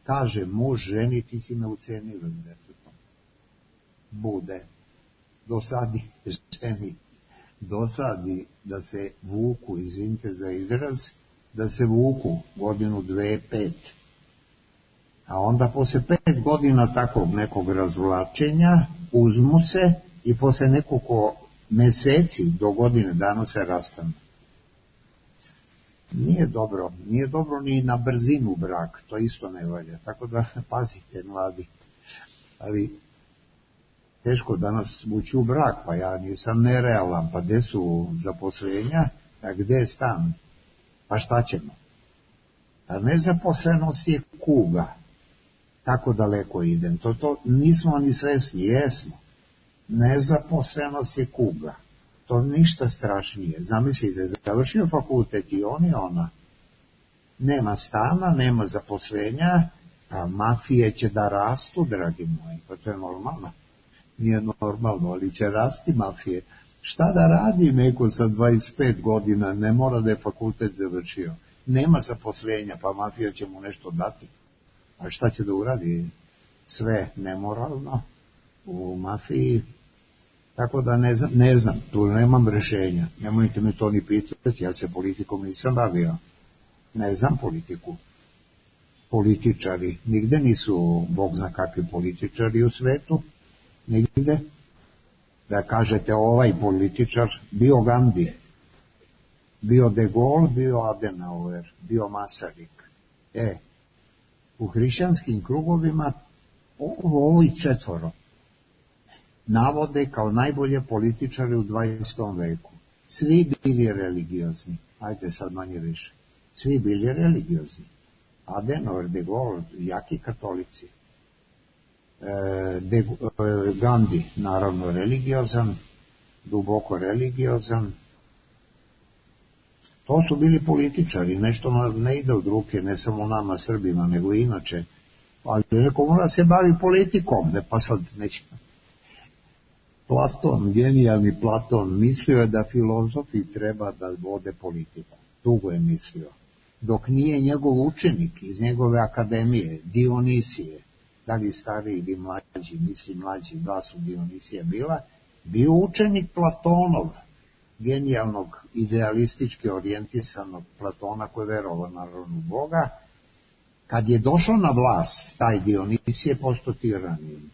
kaže muž ženi, ti si me ucenila s detetom. Bude. Dosadi ženi. Dosadi da se vuku, izvinite za izraz, da se vuku godinu, 2, 5. A onda posle 5 godina takvog nekog razvlačenja uzmu se i posle nekoliko meseci do godine dana se rastanu. Nije dobro ni na brzinu brak, to isto ne valja. Tako da pazite mladi. Ali teško danas ući u brak, pa ja nisam nerealan, pa gde su zaposlenja, a gde je stan, pa šta ćemo? A nezaposlenost je kuga, tako daleko idem, to nismo ni svesni, jesmo. Nezaposlenost je kuga, to ništa strašnije. Zamislite, završio fakultet i on i ona, nema stana, nema zaposlenja, a mafije će da rastu, dragi moji, pa to je normalno. Nije normalno, ali će rasti mafije. Šta da radi neko sa 25 godina, ne mora da je fakultet završio. Nema zaposlenja, pa mafija će mu nešto dati. A šta će da uradi? Sve nemoralno u mafiji. Tako da ne znam, tu nemam rešenja. Nemojte me to ni pitati, ja se politikom nisam bavio. Ne znam politiku. Političari, nigde nisu, Bog zna kakvi političari u svetu. Nigde, da kažete ovaj političar, bio Gandhi, bio De Gaulle, bio Adenauer, bio Masaryk. U hrišćanskim krugovima ovi 4 navode kao najbolje političare u 20. veku. Svi bili religiozni, ajde sad manje više, svi bili religiozni. Adenauer, De Gaulle, jaki katolici. Gandhi, naravno religiozan, duboko religiozan. To su bili političari, nešto ne ide od ruke, ne samo nama Srbima, nego i inače. Ali neko mora se bavi politikom, ne pa sad neće. Platon, genijalni Platon, mislio je da filozofi treba da vode politiku. Dugo je mislio. Dok nije njegov učenik iz njegove akademije, Dionisije, da li stariji ili mlađi, mislim mlađi, 2 su Dionisija bila, bio učenik Platonov, genijalnog, idealistički orijentisanog Platona koji je verovao naravno u Boga. Kad je došao na vlast, taj Dionisije postao tiranin.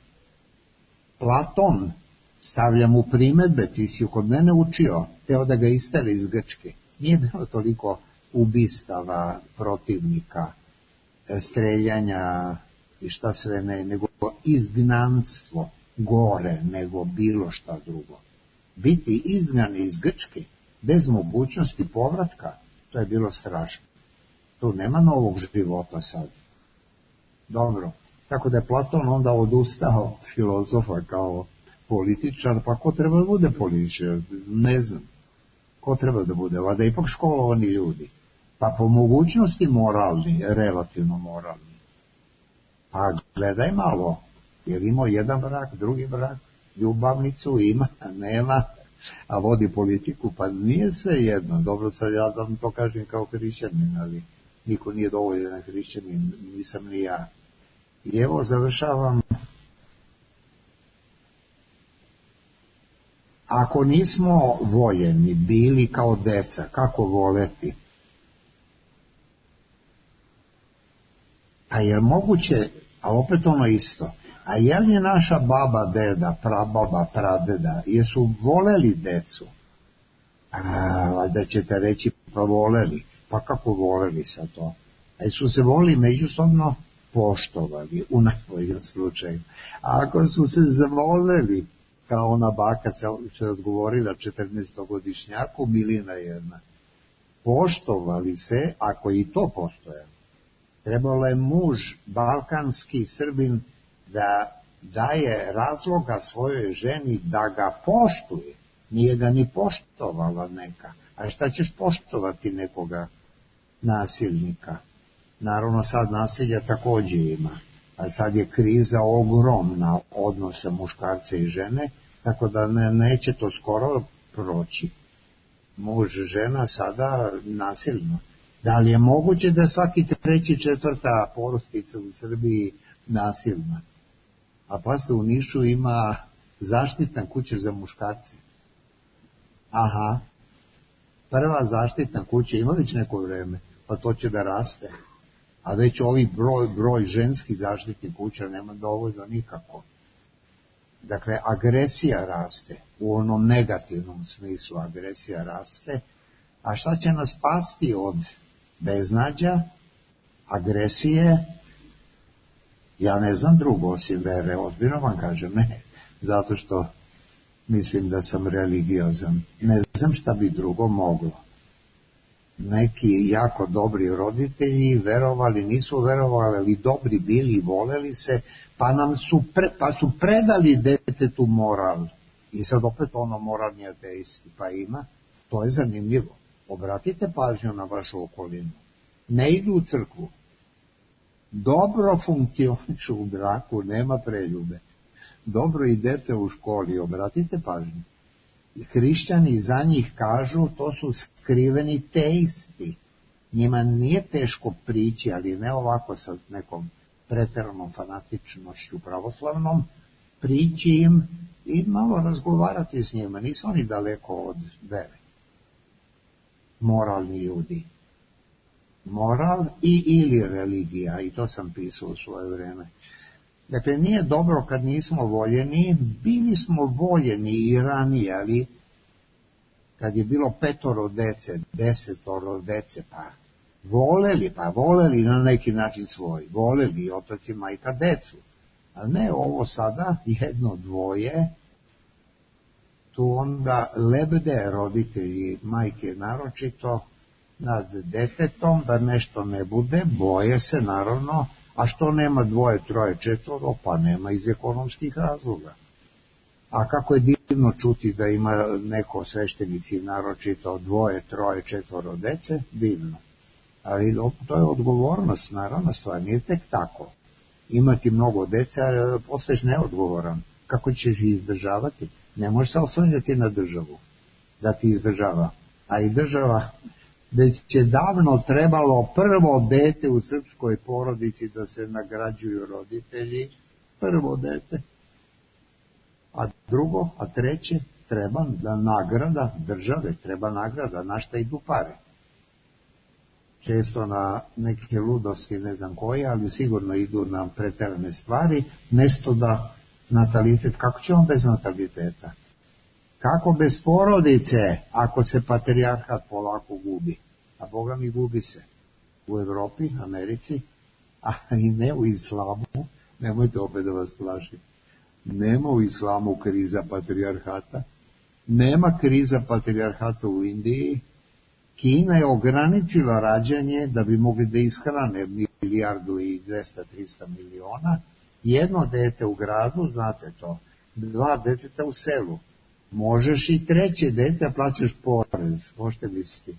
Platon stavlja mu primedbe, ti si kod mene učio, teo da ga isteri iz Grčke. Nije bilo toliko ubistava protivnika, streljanja i šta sve ne, nego izgnanstvo gore nego bilo šta drugo. Biti izgnani iz Grčke bez mogućnosti povratka, to je bilo strašno. Tu nema novog života sad. Dobro, Tako da je Platon onda odustao od filozofa kao političar, pa ko treba da bude političar? Ne znam. Ko treba da bude? Vada ipak školovani ljudi. Pa po mogućnosti moralni, relativno moralni. Pa gledaj malo, jer imao jedan brak, drugi brak, ljubavnicu ima, nema, a vodi politiku, pa nije sve jedno. Dobro, sad ja da vam to kažem kao hrišćanin, ali niko nije dovoljan hrišćanin, nisam ni ja. I evo završavam. Ako nismo voljeni bili kao deca, kako voleti? A je moguće, a opet ono isto, a je li naša baba, deda, prababa, pradeda, jesu voleli decu? Da ćete reći, pa voleli. Pa kako voleli sa to? A su se volili međusobno poštovali, u najboljem slučaju. A ako su se zavoleli, kao ona baka se odgovorila 14-godišnjaku, milina jedna, poštovali se, ako i to postoje. Trebalo je muž, balkanski Srbin, da daje razloga svojoj ženi da ga poštuje. Nije ga ni poštovala neka. A šta ćeš poštovati nekoga nasilnika? Naravno sad nasilja takođe ima. Ali sad je kriza ogromna odnosa muškarca i žene, tako da neće to skoro proći. Muž, žena sada nasilno. Da li je moguće da svaki treći, četvrta porodica u Srbiji nasilna? A pasite, u Nišu ima zaštitna kuća za muškarce. Aha, prva zaštitna kuća ima već neko vreme, pa to će da raste. A već ovi broj ženskih zaštitnih kuća nema dovoljno nikako. Dakle, agresija raste, u onom negativnom smislu agresija raste. A šta će nas spasti od beznađa, agresije? Ja ne znam drugo osim vere, ozbiljno vam kažem, ne, zato što mislim da sam religiozan. Ne znam šta bi drugo moglo. Neki jako dobri roditelji verovali, nisu verovali, ali dobri bili, voleli se, pa su predali detetu moral. I sad opet ono moralni ateisti, pa ima, to je zanimljivo. Obratite pažnju na vašu okolinu. Ne idu u crkvu. Dobro funkcionišu u braku, nema preljube. Dobro idete u školi, obratite pažnju. Hrišćani za njih kažu, to su skriveni teisti. Njima nije teško prići, ali ne ovako sa nekom preteranom fanatičnošću pravoslavnom, prići im i malo razgovarati s njima. Nisu oni daleko od vere. Moralni ljudi. Moral ili religija, i to sam pisao u svoje vreme. Dakle, nije dobro kad nismo voljeni, bili smo voljeni i ranije, ali kad je bilo 5 dece, 10 dece, pa voleli na neki način svoj, voleli otac i majka decu, a ne ovo sada, 1, 2, tu onda lebde roditelji, majke naročito, nad detetom, da nešto ne bude, boje se naravno, a što nema 2, 3, 4, pa nema iz ekonomskih razloga. A kako je divno čuti da ima neko sveštenici naročito 2, 3, 4 dece, divno. Ali to je odgovornost, naravno stvar, nije tek tako. Imati mnogo dece, a postaješ neodgovoran. Kako ćeš ih izdržavati? Ne možeš se oslanjati na državu da ti izdržava. A i država, već je davno trebalo prvo dete u srpskoj porodici da se nagrađuju roditelji, prvo dete, a drugo, a treće, treba da nagrada države, treba nagrada, na šta idu pare. Često na neke ludosti, ne znam koje, ali sigurno idu na preterane stvari, mesto da natalitet, kako će on bez nataliteta? Kako bez porodice, ako se patrijarhat polako gubi? A Boga mi gubi se u Evropi, Americi, a i ne u islamu, nemojte opet da vas plašim. Nema u islamu kriza patrijarhata, nema kriza patrijarhata u Indiji. Kina je ograničila rađanje da bi mogli da ishrane 1,2 milijarde 300 miliona, Jedno dete u gradu, znate to, 2 deteta u selu. Možeš i 3. dete, plaćaš porez, možete misliti.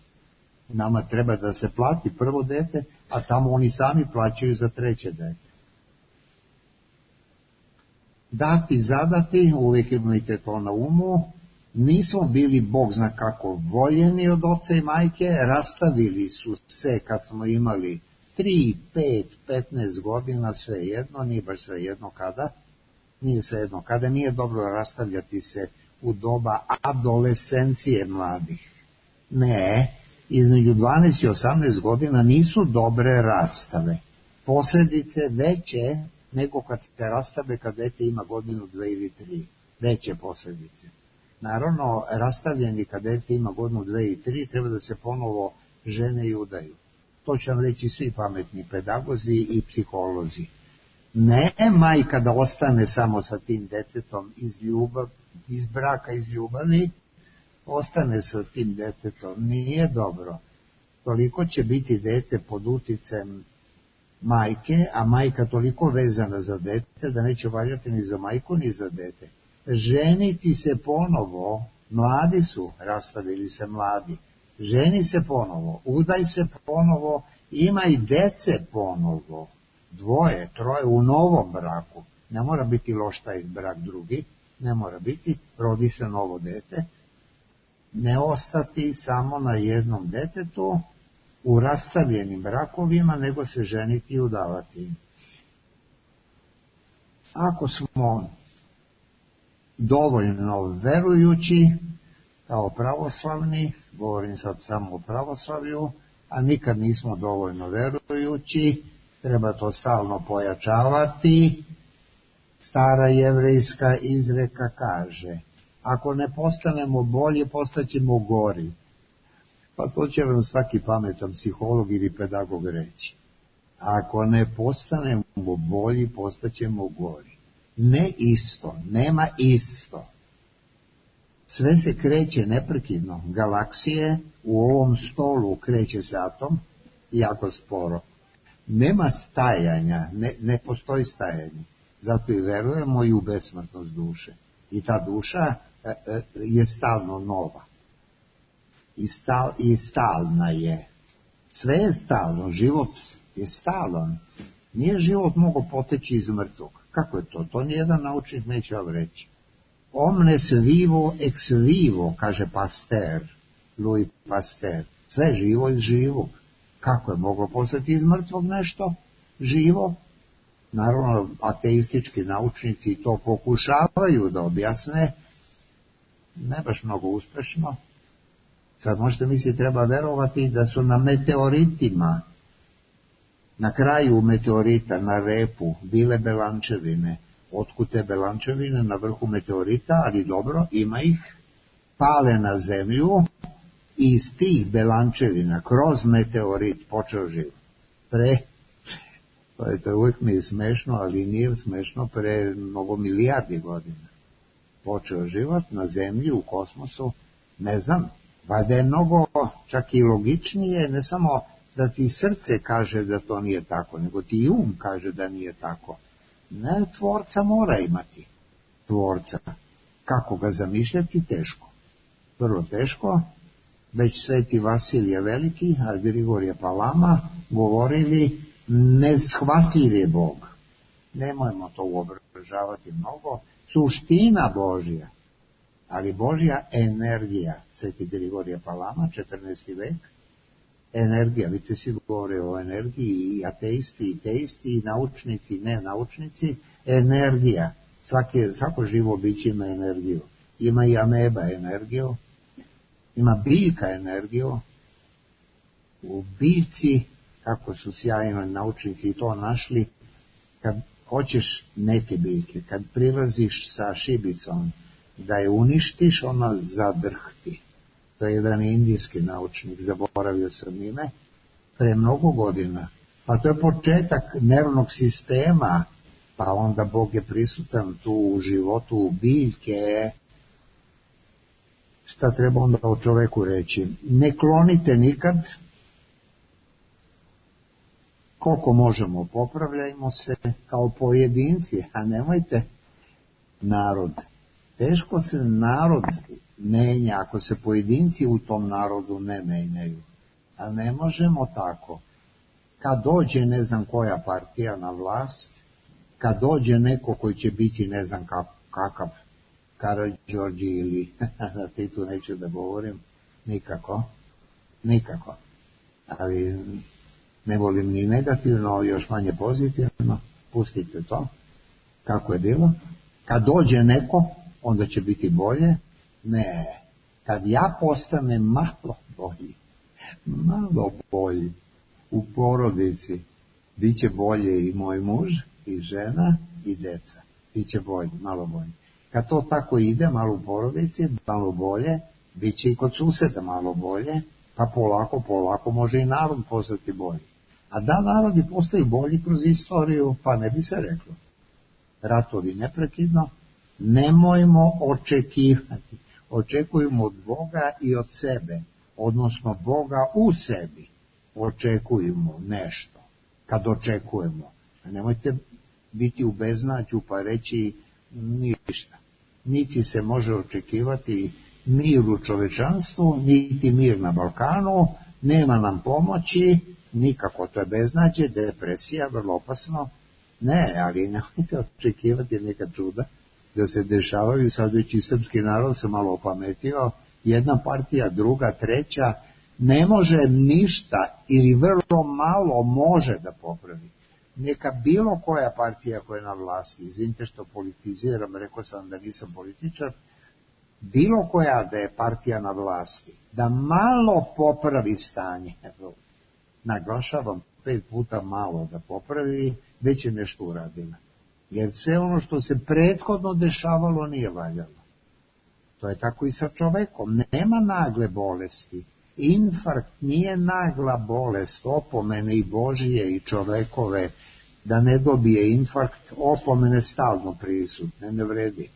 Nama treba da se plati prvo dete, a tamo oni sami plaćaju za 3. dete. Dati, zadati, uvijek imajte to na umu. Nismo bili, Bog zna kako, voljeni od oca i majke, rastavili su se kad smo imali 3, 5, 15 godina, svejedno, nije baš svejedno kada, nije svejedno kada, nije dobro rastavljati se u doba adolescencije mladih. Ne, između 12 i 18 godina nisu dobre rastave. Posljedice veće nego kad se rastave kad dete ima godinu, 2 ili 3. Veće posljedice. Naravno, rastavljeni kad dete ima godinu, 2 i 3, treba da se ponovo žene i udaju. To će vam reći svi pametni pedagozi i psiholozi. Ne majka da ostane samo sa tim detetom iz braka, iz ljubavi, ostane sa tim detetom, nije dobro. Toliko će biti dete pod uticajem majke, a majka toliko vezana za dete da neće valjati ni za majku ni za dete. Ženiti se ponovo, mladi su, rastavili se mladi, ženi se ponovo, udaj se ponovo, ima i dece ponovo, 2, 3 u novom braku, ne mora biti loš taj brak drugi, ne mora biti, rodi se novo dete, ne ostati samo na jednom detetu u rastavljenim brakovima, nego se ženiti i udavati. Ako smo dovoljno verujući, kao pravoslavni, govorim sad samo o pravoslavlju, a nikad nismo dovoljno verujući, treba to stalno pojačavati. Stara jevrejska izreka kaže, ako ne postanemo bolji, postaćemo gori. Pa to će vam svaki pametan psiholog ili pedagog reći. Ako ne postanemo bolji, postaćemo gori. Ne isto, nema isto. Sve se kreće neprekidno. Galaksije u ovom stolu kreće se atom jako sporo. Nema stajanja, ne postoji stajanje. Zato i verujemo i u besmrtnost duše. I ta duša je stalno nova. I stalna je. Sve je stalno, život je stalan. Nije život mogao poteći iz mrtvog. Kako je to? To nijedan naučnik neće vam reći. Omnes vivo ex vivo, kaže Pasteur, Louis Pasteur. Sve živo iz živog. Kako je moglo postati iz mrtvog nešto živo? Naravno, ateistički naučnici to pokušavaju da objasne, ne baš mnogo uspešno. Sad možete misliti, treba verovati da su na meteoritima, na kraju meteorita, na repu, bile belančevine. Otkud te belančevine na vrhu meteorita, ali dobro, ima ih, pale na zemlju i iz tih belančevina kroz meteorit počeo život. To uvijek mi je smešno, ali nije smešno, pre mnogo milijardi godina počeo život na zemlji, u kosmosu, ne znam, valjda je mnogo čak i logičnije, ne samo da ti srce kaže da to nije tako, nego ti um kaže da nije tako. Ne, tvorca mora imati. Tvorca. Kako ga zamišljati? Teško. Vrlo teško. Već sveti Vasilije Veliki, a Grigorije Palama govorili, neshvatljiv je Bog. Nemojmo to uobražavati mnogo. Suština Božja, ali Božja energija, sveti Grigorije Palama, 14. vek, energija, vidite svi govore o energiji, i ateisti, i teisti, i naučnici, ne naučnici, energija. Svako živo biće ima energiju. Ima i ameba energiju, ima biljka energiju. U biljci, kako su sjajno naučnici to našli, kad hoćeš neke biljke, kad prilaziš sa šibicom da je uništiš, ona zadrhti. To je jedan indijski naučnik, zaboravio sam ime, pre mnogo godina. Pa to je početak nervnog sistema, pa onda Bog je prisutan tu u životu biljke. Šta treba onda o čoveku reći? Ne klonite nikad koliko možemo popravljajmo se kao pojedinci, a nemojte narod. Teško se narod menja ako se pojedinci u tom narodu ne menjaju. Ali ne možemo tako. Kad dođe ne znam koja partija na vlast, kad dođe neko koji će biti ne znam kakav Karađorđe ili na Titu neću da govorim, nikako. Ali ne volim ni negativno, još manje pozitivno, pustite to, kako je bilo. Kad dođe neko, onda će biti bolje. Ne, kad ja postanem malo bolji u porodici, bit će bolje i moj muž, i žena, i deca. Biće bolje, malo bolje. Kad to tako ide, malo u porodici, malo bolje, bit će i kod suseda malo bolje, pa polako može i narod postati bolji. A da narodi postaju bolji kroz istoriju, pa ne bi se reklo. Ratovi neprekidno, nemojmo očekivati. Očekujemo od Boga i od sebe, odnosno Boga u sebi. Očekujemo nešto, kad očekujemo. A nemojte biti u beznađu pa reći ništa. Niti se može očekivati mir u čovečanstvu, niti mir na Balkanu, nema nam pomoći, nikako, to je beznađe, depresija, vrlo opasno. Ne, ali nemojte očekivati neka čuda da se dešavaju. Sad već i srpski narod se malo opametio, jedna partija, druga, treća, ne može ništa ili vrlo malo može da popravi. Neka bilo koja partija koja je na vlasti, izvinite što politiziram, rekao sam da nisam političar, bilo koja da je partija na vlasti, da malo popravi stanje, naglašavam 5 puta malo da popravi, već je nešto uradila. Jer sve ono što se prethodno dešavalo nije valjalo. To je tako i sa čovekom. Nema nagle bolesti. Infarkt nije nagla bolest, opomene i Božije i čovekove, da ne dobije infarkt, opomene stalno prisutne, ne vredi.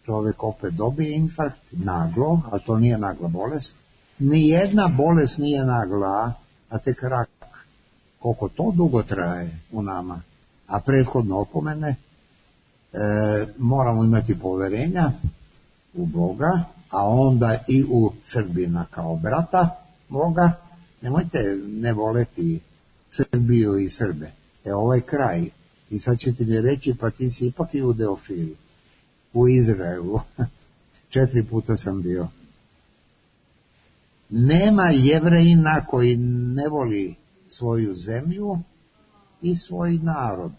Čovek opet dobije infarkt, naglo, a to nije nagla bolest. Nijedna bolest nije nagla, a tek rak. Koliko to dugo traje u nama, a prethodno opomene, moramo imati poverenja u Boga, a onda i u Srbina kao brata Boga. Nemojte ne voleti Srbiju i Srbe. Ovaj kraj. I sad ćete mi reći, pa ti si ipak judeofil. U Izraelu. 4 puta sam bio. Nema Jevrejina koji ne voli svoju zemlju i svoj narod.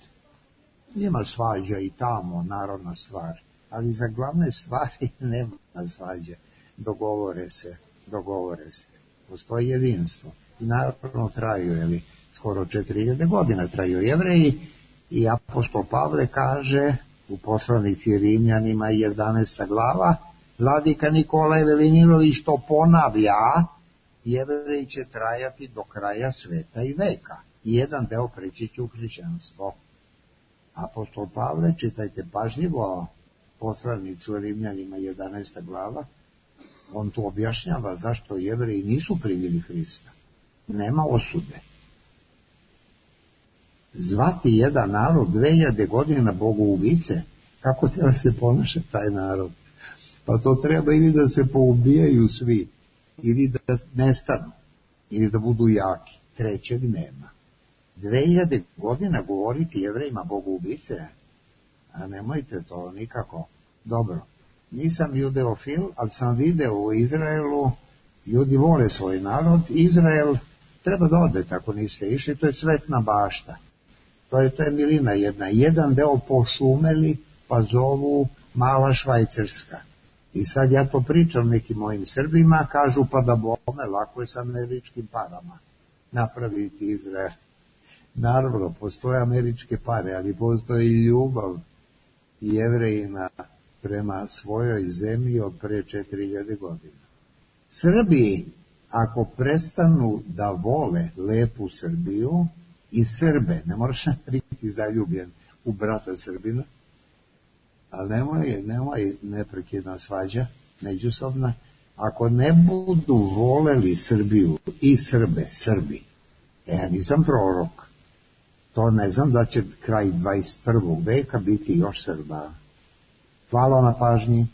Ima svađa i tamo, narodna stvar. Ali za glavne stvari nema svađe. Dogovore se. Postoji jedinstvo. I naravno traju, skoro 4000 godina traju Jevreji. I apostol Pavle kaže u poslanici Rimljanima 11. glava, vladika Nikolaj Velimirović to ponavlja, Jevreji će trajati do kraja sveta i veka. Jedan deo preći će u hrišćanstvo. Apostol Pavle, čitajte pažljivo poslanicu Rimljanima 11. glava, on tu objašnjava zašto Jevreji nisu primili Hrista. Nema osude. Zvati jedan narod 2000 godina bogoubice, kako treba se ponaša taj narod? Pa to treba ili da se poubijaju svi, ili da nestanu, ili da budu jaki. Trećeg nema. 2000 godina govoriti Jevrejima bogoubice, a nemojte to nikako. Dobro, nisam judeofil, ali sam video u Izraelu, ljudi vole svoj narod, Izrael treba da odete ako niste išli, to je cvetna bašta. To je milina jedna. Jedan deo pošumeli, pa zovu mala Švajcarska. I sad ja to pričam nekim mojim Srbima, kažu pa da bome, lako je sa američkim parama napraviti Izrael. Naravno, postoje američke pare, ali postoji i ljubav Jevrejina prema svojoj zemlji od pre 4000 godina. Srbi, ako prestanu da vole lepu Srbiju i Srbe, ne moraš biti zaljubljen u brata Srbina, ali nemoj neprekidna svađa međusobna. Ako ne budu voleli Srbiju i Srbi, ja nisam prorok, to ne znam da će kraj 21. veka biti još Srba. Hvala na pažnji.